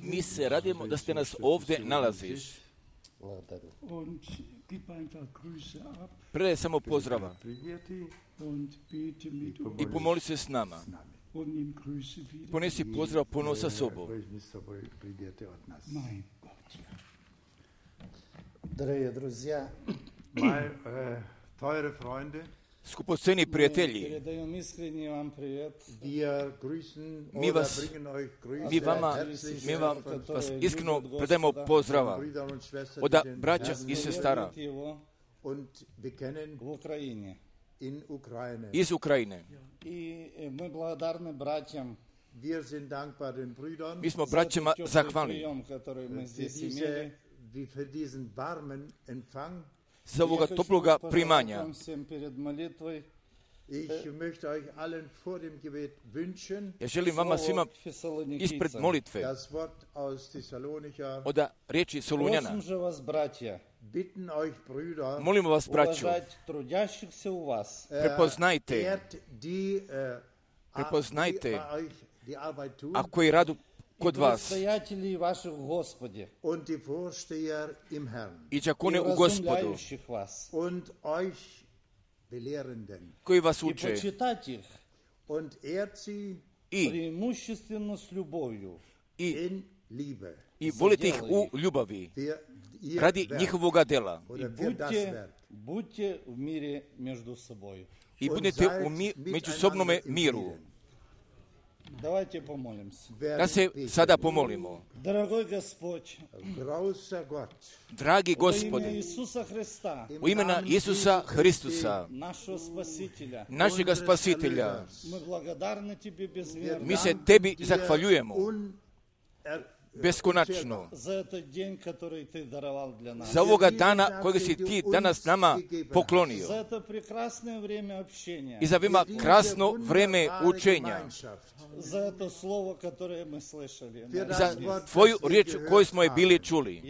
Mi se radimo da ste nas ovdje nalaziš. Predaj samo pozdrava i pomoli se s nama. Ponesi pozdrav ponovo sa sobom. Dragi друзья, Teure Freunde, skupoceni prijatelji, mi vas, mi vama, mi vam vas iskreno predajemo pozdrava od braća i sestara iz Ukrajine. Mi smo braćama zahvalni za ovoga toploga primanja. Ja želim vama svima ispred molitve od riječi Solunjana. Molimo vas, braćo, prepoznajte, prepoznajte, a koji radu kod vas i đakone u Gospodu koji vas uče i, i, i volite ih u ljubavi radi njihovoga dela i budete u mi, međusobnome miru. Давайте помолимся. Da se sada pomolimo. Dragi Gospode, u imena Isusa Hristusa, našega Spasitelja, mi se Tebi zahvaljujemo beskonačno za ovoga dana kojeg si Ti danas nama poklonio i za vima krasno vreme učenja, za Tvoju riječ koju smo je bili čuli.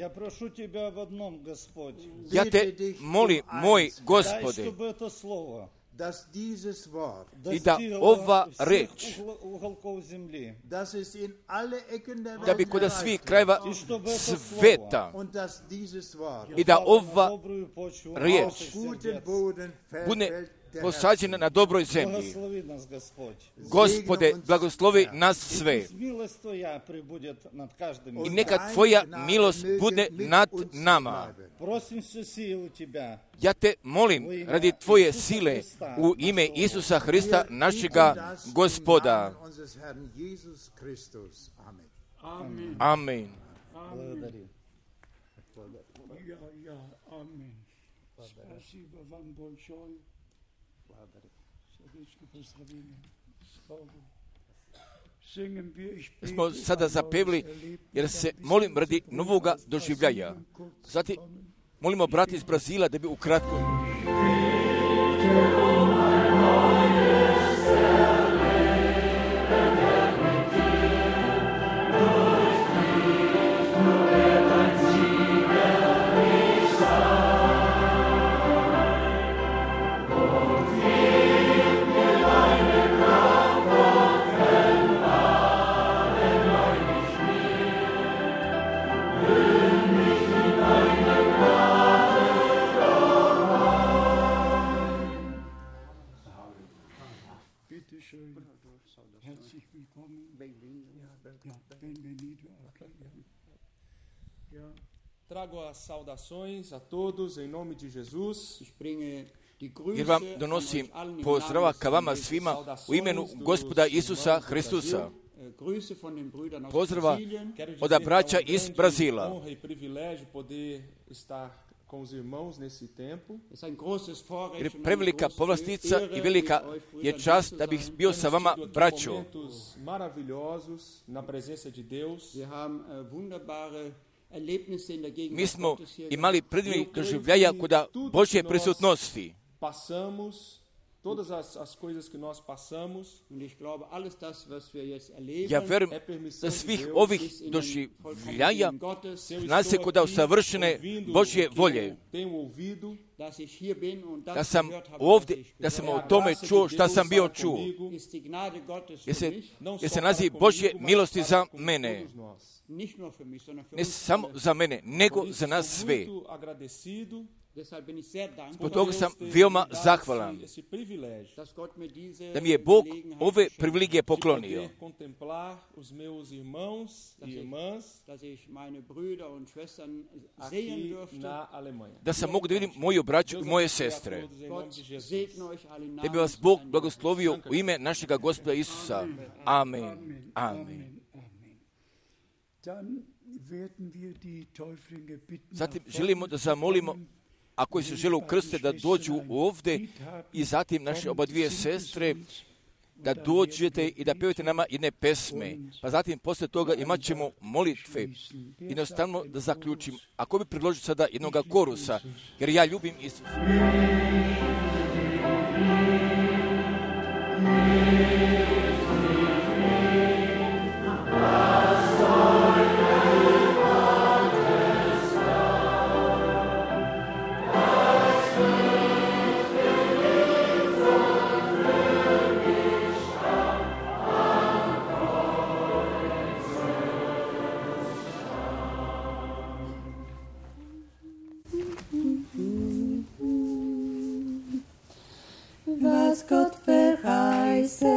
Ja Te molim, moj Gospode, i da ova reč, da bi kod svih krajeva sveta, i da ova riječ bude posađena na dobroj zemlji. Gospode, blagoslovi nas sve. I neka Tvoja milost bude nad nama. Ja Te molim radi Tvoje sile u ime Isusa Hrista, našega Gospoda. Amen. Smo sada zapevili, jer se molim radi novoga doživljaja. Zatim molimo brati iz Brazila da bi ukratko Trago as saudações a todos em nome de Jesus. Jer vam donosim pozdrava ka vama svima u imenu Gospoda Isusa Hristusa. Pozdrava od braća iz Brazila. Honra e privilégio poder estar com os irmãos nesse tempo. Jer prevelika povlastica i velika je čast da bih bio sa vama, braćo. Momentos maravilhosos na presença de Deus. Mi smo imali predivnih doživljaja kod Božje prisutnosti. Passamos todas as, as coisas que nós passamos. Ja verujem da svih ovih doživljaja zna se kod savršene Božje volje. Da sam ovdje, da sam o tome čuo šta sam bio čuo. Jer se, jer se naziv Božje milosti za mene. Ne samo za mene, nego za nas sve. Zbog toga sam veoma zahvalan da mi je Bog ove privilegije poklonio. Da sam mogu da vidim moju braću i moje sestre. Da bi vas Bog blagoslovio u ime našega Gospoda Isusa. Amen. Amen. Zatim želimo da zamolimo ako se žele ukrstiti da dođu ovdje i zatim naše oba dvije sestre da dođete i da pevate nama jedne pesme. Pa zatim posle toga imat ćemo molitve. Jednostavno da zaključim. Ako bi predložio sada jednog korusa, jer ja ljubim Isusa. Was Gott verheißen,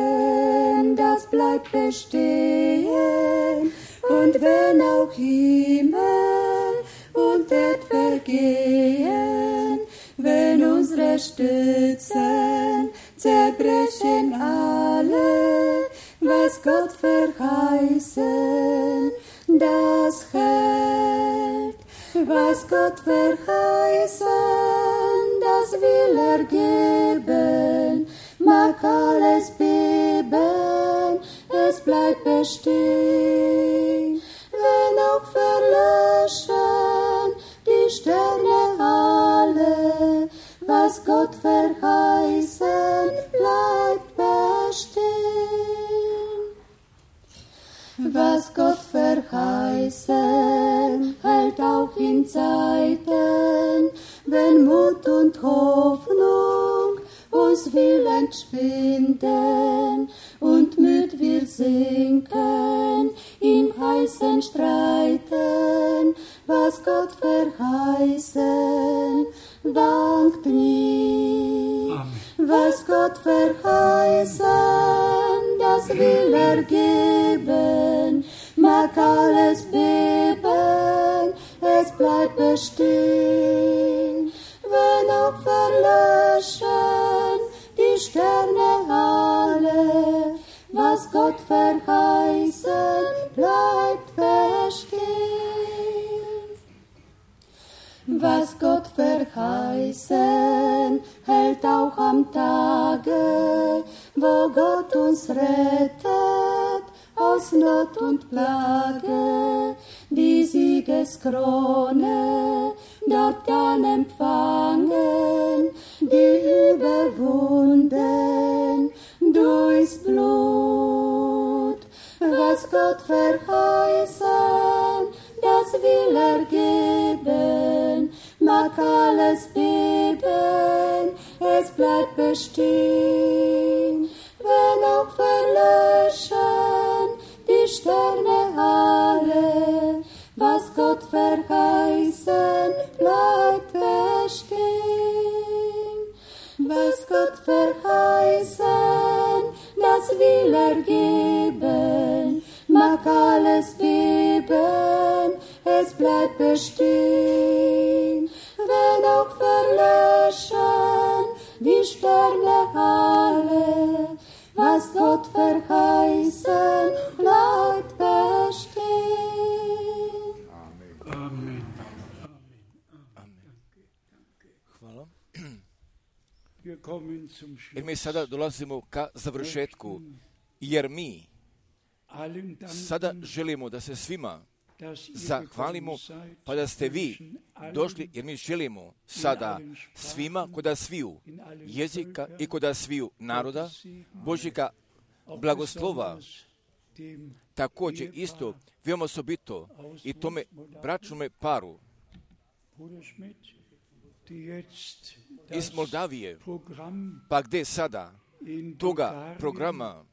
das bleibt bestehen. Und wenn auch Himmel und Erd vergehen, wenn unsere Stützen zerbrechen alle, was Gott verheißen, das hält. Was Gott verheißen, das will er geben, mag alles beben, es bleibt bestehen. Wenn auch verlöschen die Sterne alle, was Gott verheißen, bleibt bestehen. Was Gott verheißen, hält auch in Zeiten, wenn Mut und Hoffnung uns will entschwinden und müd wir sinken im heißen Streiten, was Gott verheißen, wankt nie. Amen. Was Gott verheißen, das will er geben, mag alles beben, es bleibt bestehen. Wenn auch verlöschen die Sterne alle, was Gott verheißen, bleibt bestehen. Was Gott verheißen, hält auch am Tage, wo Gott uns rettet aus Not und Plage, die Siegeskrone dort dann empfangen, die überwunden durchs Blut. Was Gott verheißen, das will er geben, mag alles beben, es bleibt bestehen. Wenn auch verlöschen die Sterne alle, was Gott verheißen, bleibt bestehen. Was Gott verheißen, das will er geben, mag alles beben, es bleibt bestehen, wenn auch verlöschen die Sterne alle, was Gott verheißen, bleibt bestehen. Amen. Hvala. Wir kommen zum Jer mi Schluss. sada dolazimo ka završetku, jer mi Allen danken, sada želimo da se svima dass ihr zahvalimo, gekommen seid, pa da ste vi wünschen allen došli, jer mi želimo sada svima koda sviju jezika i koda sviju naroda Božjega blagoslova, dem također isto veoma osobito i tome bračnome paru Bruder Schmidt, die jetzt iz das Moldavije, Programm pa gde sada in toga Bulgarien programa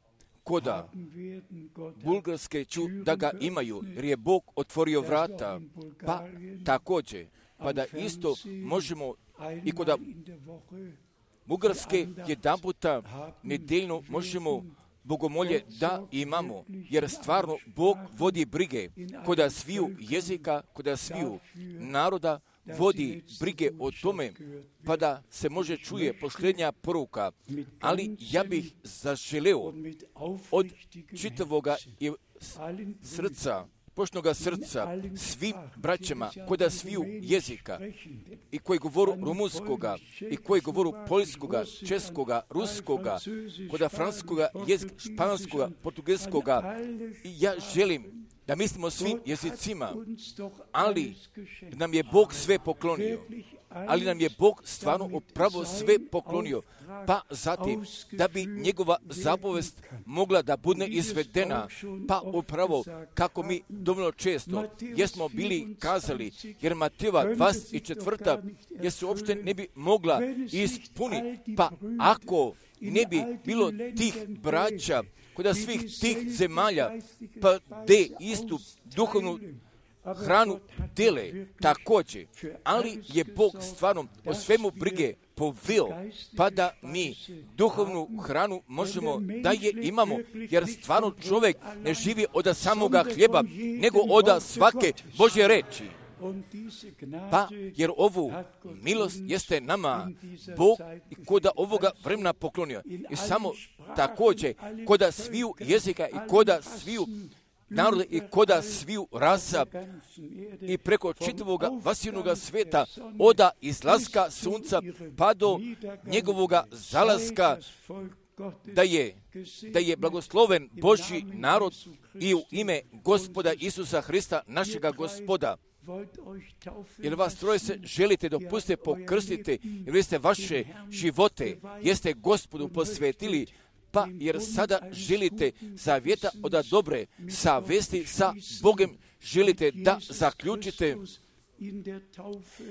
koda haben werden. Gott hat bulgarske ću da ga imaju, jer je Bog otvorio vrata, pa također, pa da isto možemo i koda einmal in der Woche Bugarske jedan puta nedeljno možemo bogomolje da imamo, jer stvarno Bog vodi brige koda sviju jezika, koda sviju naroda, vodi brige o tome, pa da se može čuje poštenja poruka, ali ja bih zaželeo und mit od aufrichtigem čitavoga i allen srca, poštnoga srca, svim braćama koda sviju jezika i koji govoru rumunskoga i koji govoru poljskoga, českoga, ruskoga, koda franskoga, jezika, španskoga, portugelskoga. I ja želim da mislimo svim jezicima, ali nam je Bog sve poklonio. Ali nam je Bog stvarno upravo sve poklonio, pa zatim da bi njegova zapovest mogla da bude izvedena, pa upravo kako mi dovoljno često jesmo bili kazali, jer Matejeva dvadeset četvrta jer se uopšte ne bi mogla ispuniti, pa ako ne bi bilo tih braća kod svih tih zemalja, pa de istu duhovnu hranu dele također, ali je Bog stvarno o svemu brige poveo, pa da mi duhovnu hranu možemo da je imamo, jer stvarno čovjek ne živi od samoga hljeba, nego od svake Božje reči. Pa, jer ovu milost jeste nama Bog i koda ovoga vremena poklonio. I samo također, koda sviju jezika i koda sviju naroda i koda sviju rasa i preko čitavoga vasivnoga sveta, oda izlaska sunca pa do njegovoga zalaska, da je, da je blagosloven Božji narod i u ime Gospoda Isusa Hrista, našega Gospoda. Jer vas troje se želite dopustite pokrstite, jer vi ste vaše živote, jeste Gospodu posvetili, pa jer sada želite zavjeta od dobre savesti sa Bogom, želite da zaključite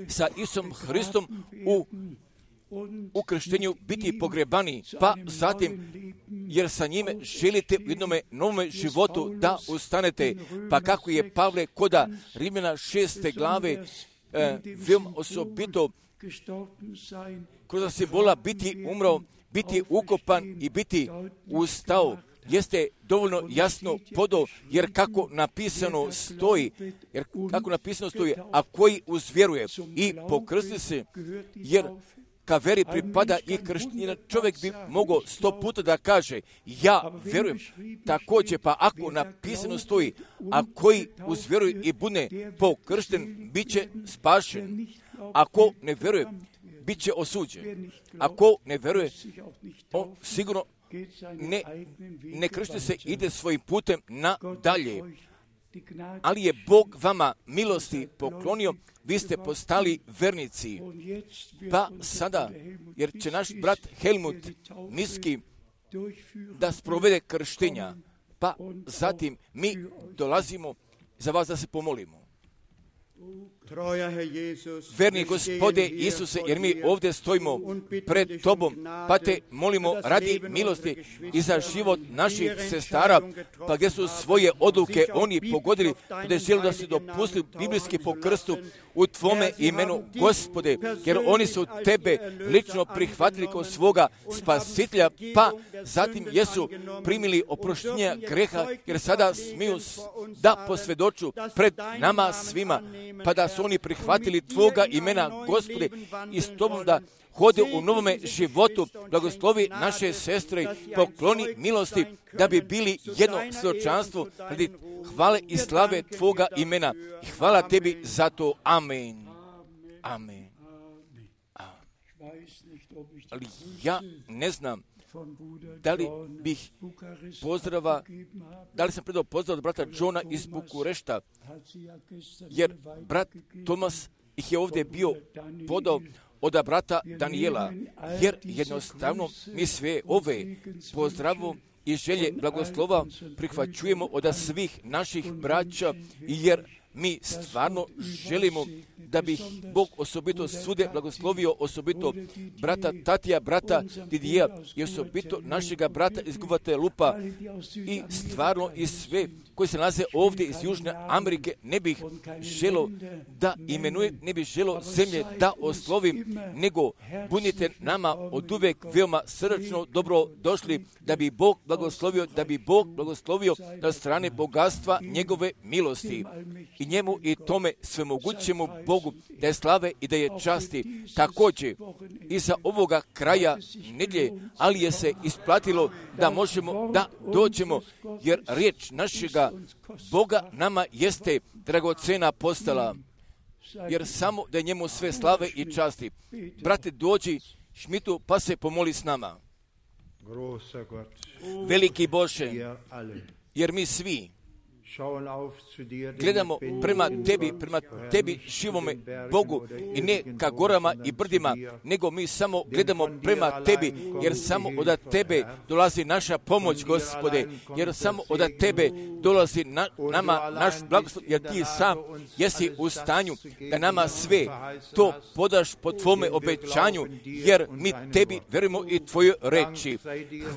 sa Isusom Hristom u u krštenju biti pogrebani, pa zatim, jer sa njime želite u jednome novome životu da ustanete, pa kako je Pavle koda Rimljana šeste glave e, veoma osobito kroz simbola biti umro, biti ukopan i biti ustao, jeste dovoljno jasno podo, jer kako napisano stoji, jer kako napisano stoji, a koji uzvjeruje i pokrsti se, jer ka veri pripada i krštenje, čovjek bi mogao sto puta da kaže, ja vjerujem, također, pa ako napisano stoji, a koji uzvjeruje i bude pokršten, bit će spašen. Ako ne vjeruje, bit će osuđen. Ako ne vjeruje, on sigurno ne, ne kršti se, ide svojim putem nadalje. Ali je Bog vama milosti poklonio, vi ste postali vernici. Pa sada, jer će naš brat Helmut Niski da sprovede krštenja, pa zatim mi dolazimo za vas da se pomolimo. Verni Gospode Isuse, jer mi ovdje stojimo pred Tobom, pa te molimo radi milosti i za život naših sestara, pa gdje su svoje odluke oni pogodili, gdje žele da se dopustili biblijski po krstu u Tvome imenu, Gospode, jer oni su Tebe lično prihvatili kao svoga spasitelja, pa zatim jesu primili oproštenje greha, jer sada smiju da posvjedoču pred nama svima, pa da su oni prihvatili Tvoga imena, Gospode, i s Tobom da hode u novome životu. Blagoslovi naše sestre, pokloni milosti, da bi bili jedno svjedočanstvo radi hvale i slave Tvoga imena. I hvala Tebi za to. Amen. Amen. Ali ja ne znam da li bih pozdrava, da li sam predao pozdrav od brata Johna iz Bukurešta, jer brat Tomas ih je ovdje bio podao od brata Danijela, jer jednostavno mi sve ove pozdravu i želje blagoslova prihvaćujemo od svih naših braća, jer mi stvarno želimo da bi Bog osobito svude blagoslovio, osobito brata Tatija, brata Didija i osobito našega brata iz Guvatelupa i stvarno i sve koji se nalaze ovdje iz Južne Amerike. Ne bih želo da imenujem, ne bih želo zemlje da oslovim, nego budite nama od uvek veoma srdačno dobro došli, da bi Bog blagoslovio, da bi Bog blagoslovio na strane bogatstva njegove milosti. I njemu i tome svemogućemu Bogu da je slave i da je časti. Također iza ovoga kraja nedjelje, ali je se isplatilo da možemo da dođemo, jer riječ našega Boga nama jeste dragocena postala, jer samo da je njemu sve slave i časti. Brate, dođi Šmitu pa se pomoli s nama. Veliki Bože, jer mi svi gledamo prema Tebi, prema Tebi živome Bogu i ne ka gorama i brdima, nego mi samo gledamo prema Tebi, jer samo od Tebe dolazi naša pomoć, Gospode, jer samo od Tebe dolazi na, nama naš blagoslov, jer Ti sam jesi u stanju da nama sve to podaš po Tvome obećanju, jer mi Tebi verujemo i Tvoje reči.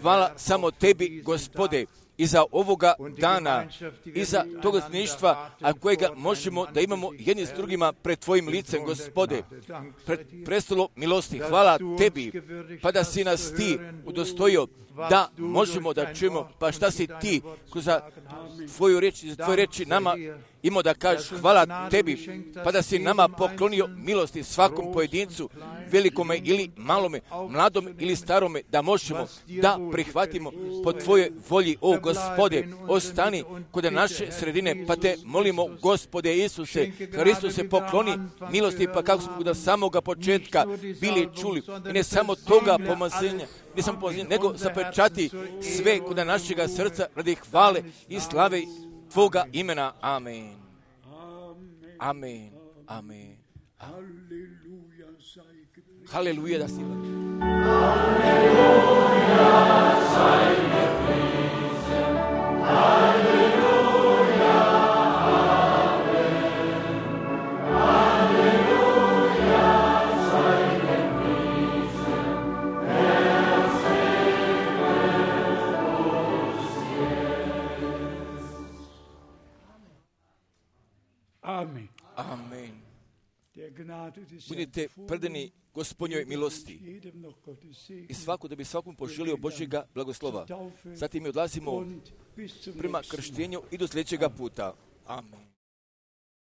Hvala samo Tebi, Gospode, i za ovoga dana, i za toga stanovništva, a kojega možemo da imamo jedni s drugima pred Tvojim licem, Gospode, pred prestolom milosti. Hvala Tebi, pa da si nas Ti udostojio da možemo da čujemo, pa šta si Ti kroz Tvoju reč, za Tvoje reči nama imao da kažeš. Hvala Tebi, pa da si nama poklonio milosti svakom pojedincu, velikome ili malome, mladome ili starome, da možemo da prihvatimo po Tvojoj volji, o Gospode. Ostani kod naše sredine, pa Te molimo, Gospode Isuse, Hristuse, pokloni milosti, pa kako smo od samoga početka bili čuli, i ne samo toga pomazanja, ne samo pomazanja, nego zapečati sve kod našega srca radi hvale i slave Tvoga imena. Amen. Amen. Amen. Haleluja da si. Amen. Amen. Der Gnade des Budite predani Gospodnjoj milosti i svako da bi svakom poželio Božjega blagoslova. Zatim mi odlazimo prema krštenju i do sljedećega puta. Amen.